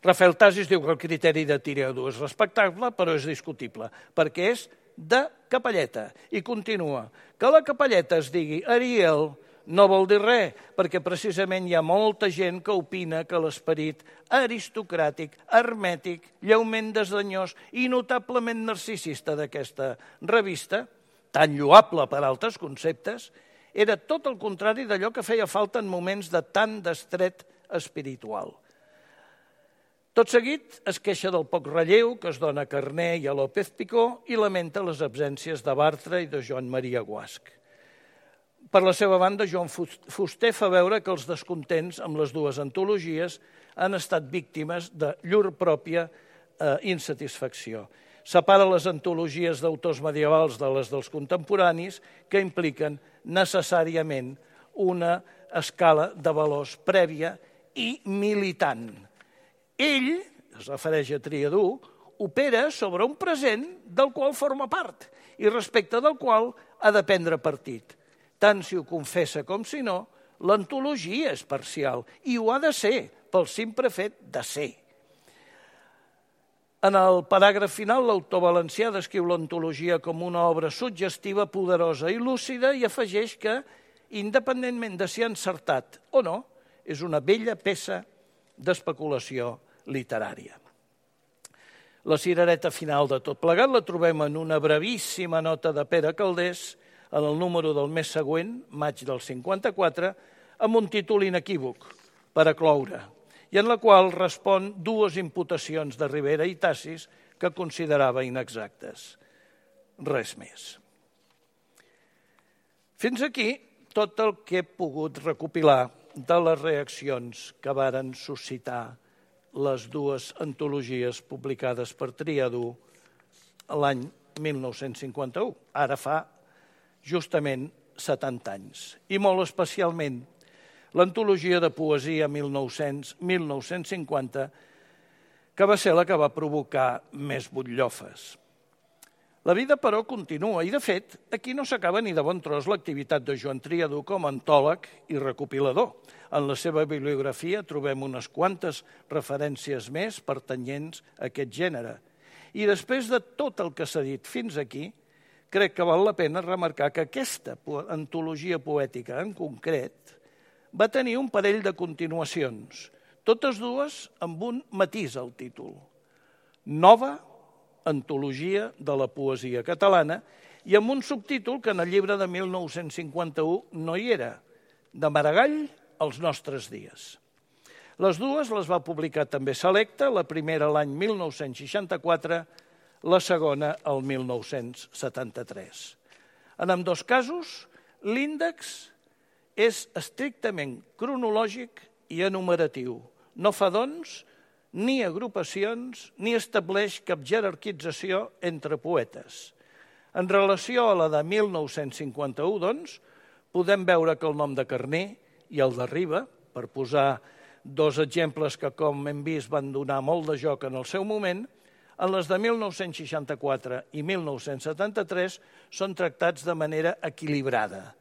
Rafael Tasis diu que el criteri de Triadú és respectable, però és discutible, perquè és de capelleta. I continua, que la capelleta es digui Ariel no vol dir res, perquè precisament hi ha molta gent que opina que l'esperit aristocràtic, hermètic, lleument desdenyós i notablement narcisista d'aquesta revista, tan lloable per altres conceptes, era tot el contrari d'allò que feia falta en moments de tant destret espiritual. Tot seguit es queixa del poc relleu que es dona a Carner i a López Picó i lamenta les absències de Bartra i de Joan Maria Guasch. Per la seva banda, Joan Fuster fa veure que els descontents amb les dues antologies han estat víctimes de llur pròpia eh, insatisfacció. Separa les antologies d'autors medievals de les dels contemporanis que impliquen necessàriament una escala de valors prèvia i militant. Ell, es refereix a Triadú, opera sobre un present del qual forma part i respecte del qual ha de prendre partit. Tant si ho confessa com si no, l'antologia és parcial i ho ha de ser pel simple fet de ser. En el paràgraf final, l'autor valencià descriu l'antologia com una obra suggestiva, poderosa i lúcida i afegeix que, independentment de si ha encertat o no, és una bella peça d'especulació literària. La cirereta final de tot plegat la trobem en una brevíssima nota de Pere Calders en el número del mes següent, maig del cinquanta-quatre, amb un títol inequívoc, Per a cloure, i en la qual respon dues imputacions de Rivera i Tasis que considerava inexactes. Res més. Fins aquí tot el que he pogut recopilar de les reaccions que varen suscitar les dues antologies publicades per Triadú l'any mil nou-cents cinquanta-u, ara fa justament setanta anys, i molt especialment l'antologia de poesia mil nou-cents a mil nou-cents cinquanta, que va ser la que va provocar més butllofes. La vida, però, continua, i de fet, aquí no s'acaba ni de bon tros l'activitat de Joan Triadú com a antòleg i recopilador. En la seva bibliografia trobem unes quantes referències més pertanyents a aquest gènere. I després de tot el que s'ha dit fins aquí, crec que val la pena remarcar que aquesta antologia poètica en concret va tenir un parell de continuacions, totes dues amb un matís al títol. Nova antologia de la poesia catalana i amb un subtítol que en el llibre de mil nou-cents cinquanta-u no hi era, de Maragall als nostres dies. Les dues les va publicar també Selecta, la primera l'any mil nou-cents seixanta-quatre, la segona el mil nou-cents setanta-tres. En ambdós casos, l'índex és estrictament cronològic i enumeratiu. No fa, doncs, ni agrupacions ni estableix cap jerarquització entre poetes. En relació a la de mil nou-cents cinquanta-u, doncs, podem veure que el nom de Carner i el de Riba, per posar dos exemples que, com hem vist, van donar molt de joc en el seu moment, en les de mil nou-cents seixanta-quatre i mil nou-cents setanta-tres són tractats de manera equilibrada.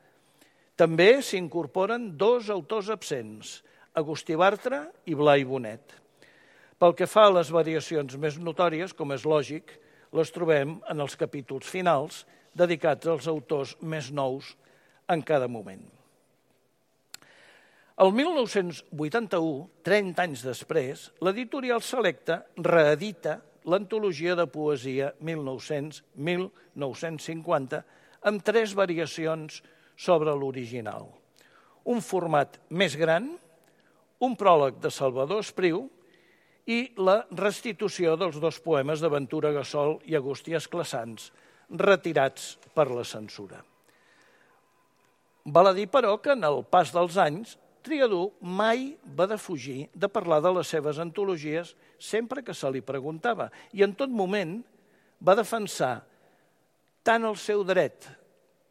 També s'incorporen dos autors absents, Agustí Bartra i Blai Bonet. Pel que fa a les variacions més notòries, com és lògic, les trobem en els capítols finals dedicats als autors més nous en cada moment. El mil nou-cents vuitanta-u, trenta anys després, l'editorial Selecta reedita l'antologia de poesia mil nou-cents a mil nou-cents cinquanta amb tres variacions sobre l'original. Un format més gran, un pròleg de Salvador Espriu i la restitució dels dos poemes de Ventura Gassol i Agustí Esclassans, retirats per la censura. Val a dir, però, que en el pas dels anys, Triadú mai va defugir de parlar de les seves antologies sempre que se li preguntava i en tot moment va defensar tant el seu dret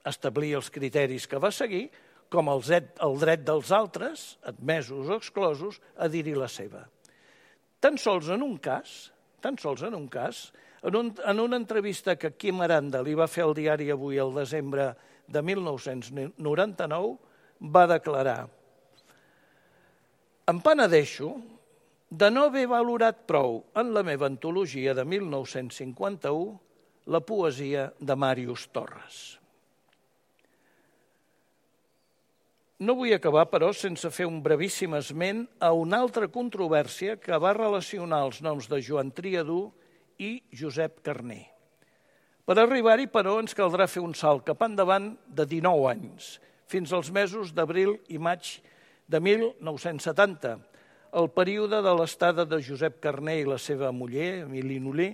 a establir els criteris que va seguir com el dret dels altres, admesos o exclosos, a dir-hi la seva. Tan sols en un cas, tan sols en un cas, en, un, en una entrevista que Quim Aranda li va fer al diari Avui el desembre de mil nou-cents noranta-nou, va declarar: em penedeixo de no haver valorat prou en la meva antologia de mil nou-cents cinquanta-u la poesia de Màrius Torres. No vull acabar, però, sense fer un brevíssim esment a una altra controvèrsia que va relacionar els noms de Joan Triadú i Josep Carner. Per arribar-hi, però, ens caldrà fer un salt cap endavant de dinou anys, fins als mesos d'abril i maig de mil nou-cents setanta, el període de l'estada de Josep Carner i la seva muller, Emili Nolé,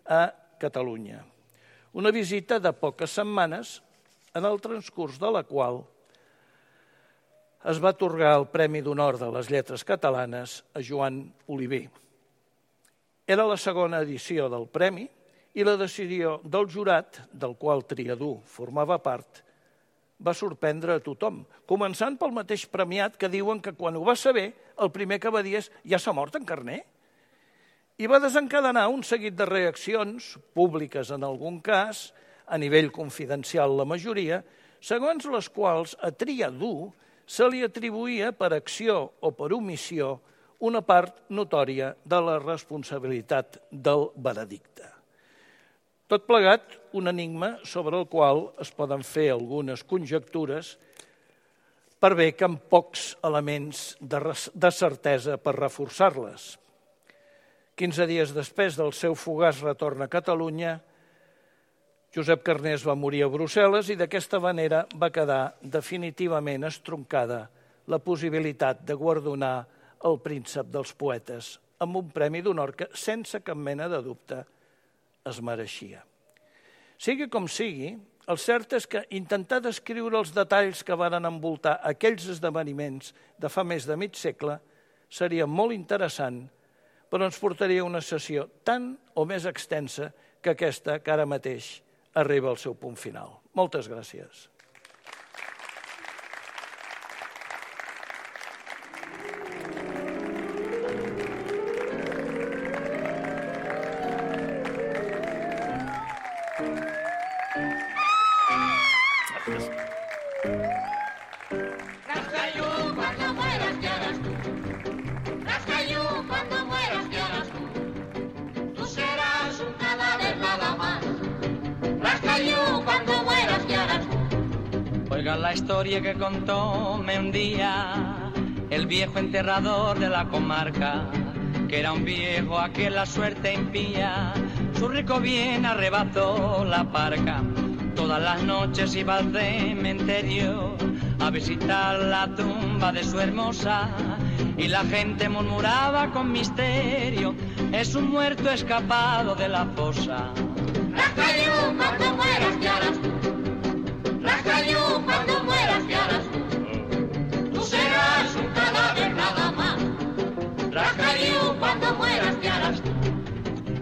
a Catalunya. Una visita de poques setmanes, en el transcurs de la qual es va atorgar el Premi d'Honor de les Lletres Catalanes a Joan Oliver. Era la segona edició del premi i la decisió del jurat, del qual Triadú formava part, va sorprendre a tothom, començant pel mateix premiat que diuen que quan ho va saber, el primer que va dir és «ja s'ha mort en Carner». I va desencadenar un seguit de reaccions, públiques en algun cas, a nivell confidencial la majoria, segons les quals a Triadú se li atribuïa per acció o per omissió una part notòria de la responsabilitat del veredicte. Tot plegat, un enigma sobre el qual es poden fer algunes conjectures per bé que amb pocs elements de certesa per reforçar-les. Quinze dies després del seu fugaç retorn a Catalunya, Josep Carner es va morir a Brussel·les i d'aquesta manera va quedar definitivament estroncada la possibilitat de guardonar el príncep dels poetes amb un premi d'honor que, sense cap mena de dubte, es mereixia. Sigui com sigui, el cert és que intentar descriure els detalls que varen envoltar aquells esdeveniments de fa més de mig segle seria molt interessant, però ens portaria una sessió tan o més extensa que aquesta que ara mateix arriba al seu punt final. Moltes gràcies. La historia que contóme un día el viejo enterrador de la comarca, que era un viejo a que la suerte impía, su rico bien arrebató la parca. Todas las noches iba al cementerio a visitar la tumba de su hermosa y la gente murmuraba con misterio, es un muerto escapado de la fosa. Rascayú, cuando mueras te harás tú. Rascayú, cuando mueras te harás tú. Tú serás un cadáver nada más. Rascayú, cuando mueras te harás tú.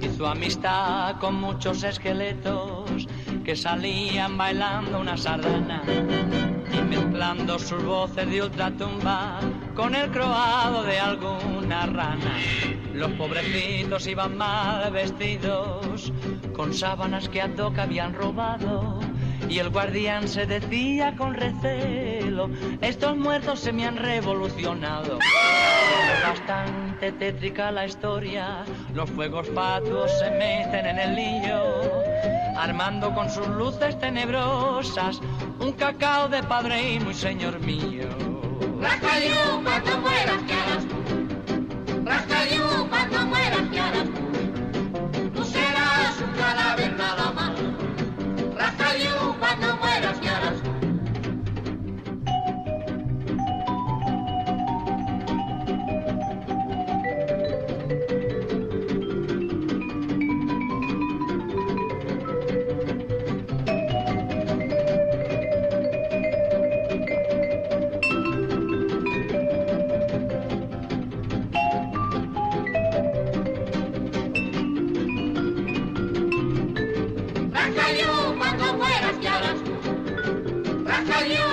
Hizo amistad con muchos esqueletos que salían bailando una sardana y mezclando sus voces de ultratumba con el croado de alguna rana. Los pobrecitos iban mal vestidos con sábanas que a toca habían robado y el guardián se decía con recelo, estos muertos se me han revolucionado. Es bastante tétrica la historia, los fuegos fatuos se meten en el lío, armando con sus luces tenebrosas un cacao de padre y muy señor mío. Rascayú, cuando mueras te harás tú. Rascayú, cuando mueras te harás tú. Tú serás un cadáver nada más. Rascayú, cuando mueras te harás tú. Rajayú.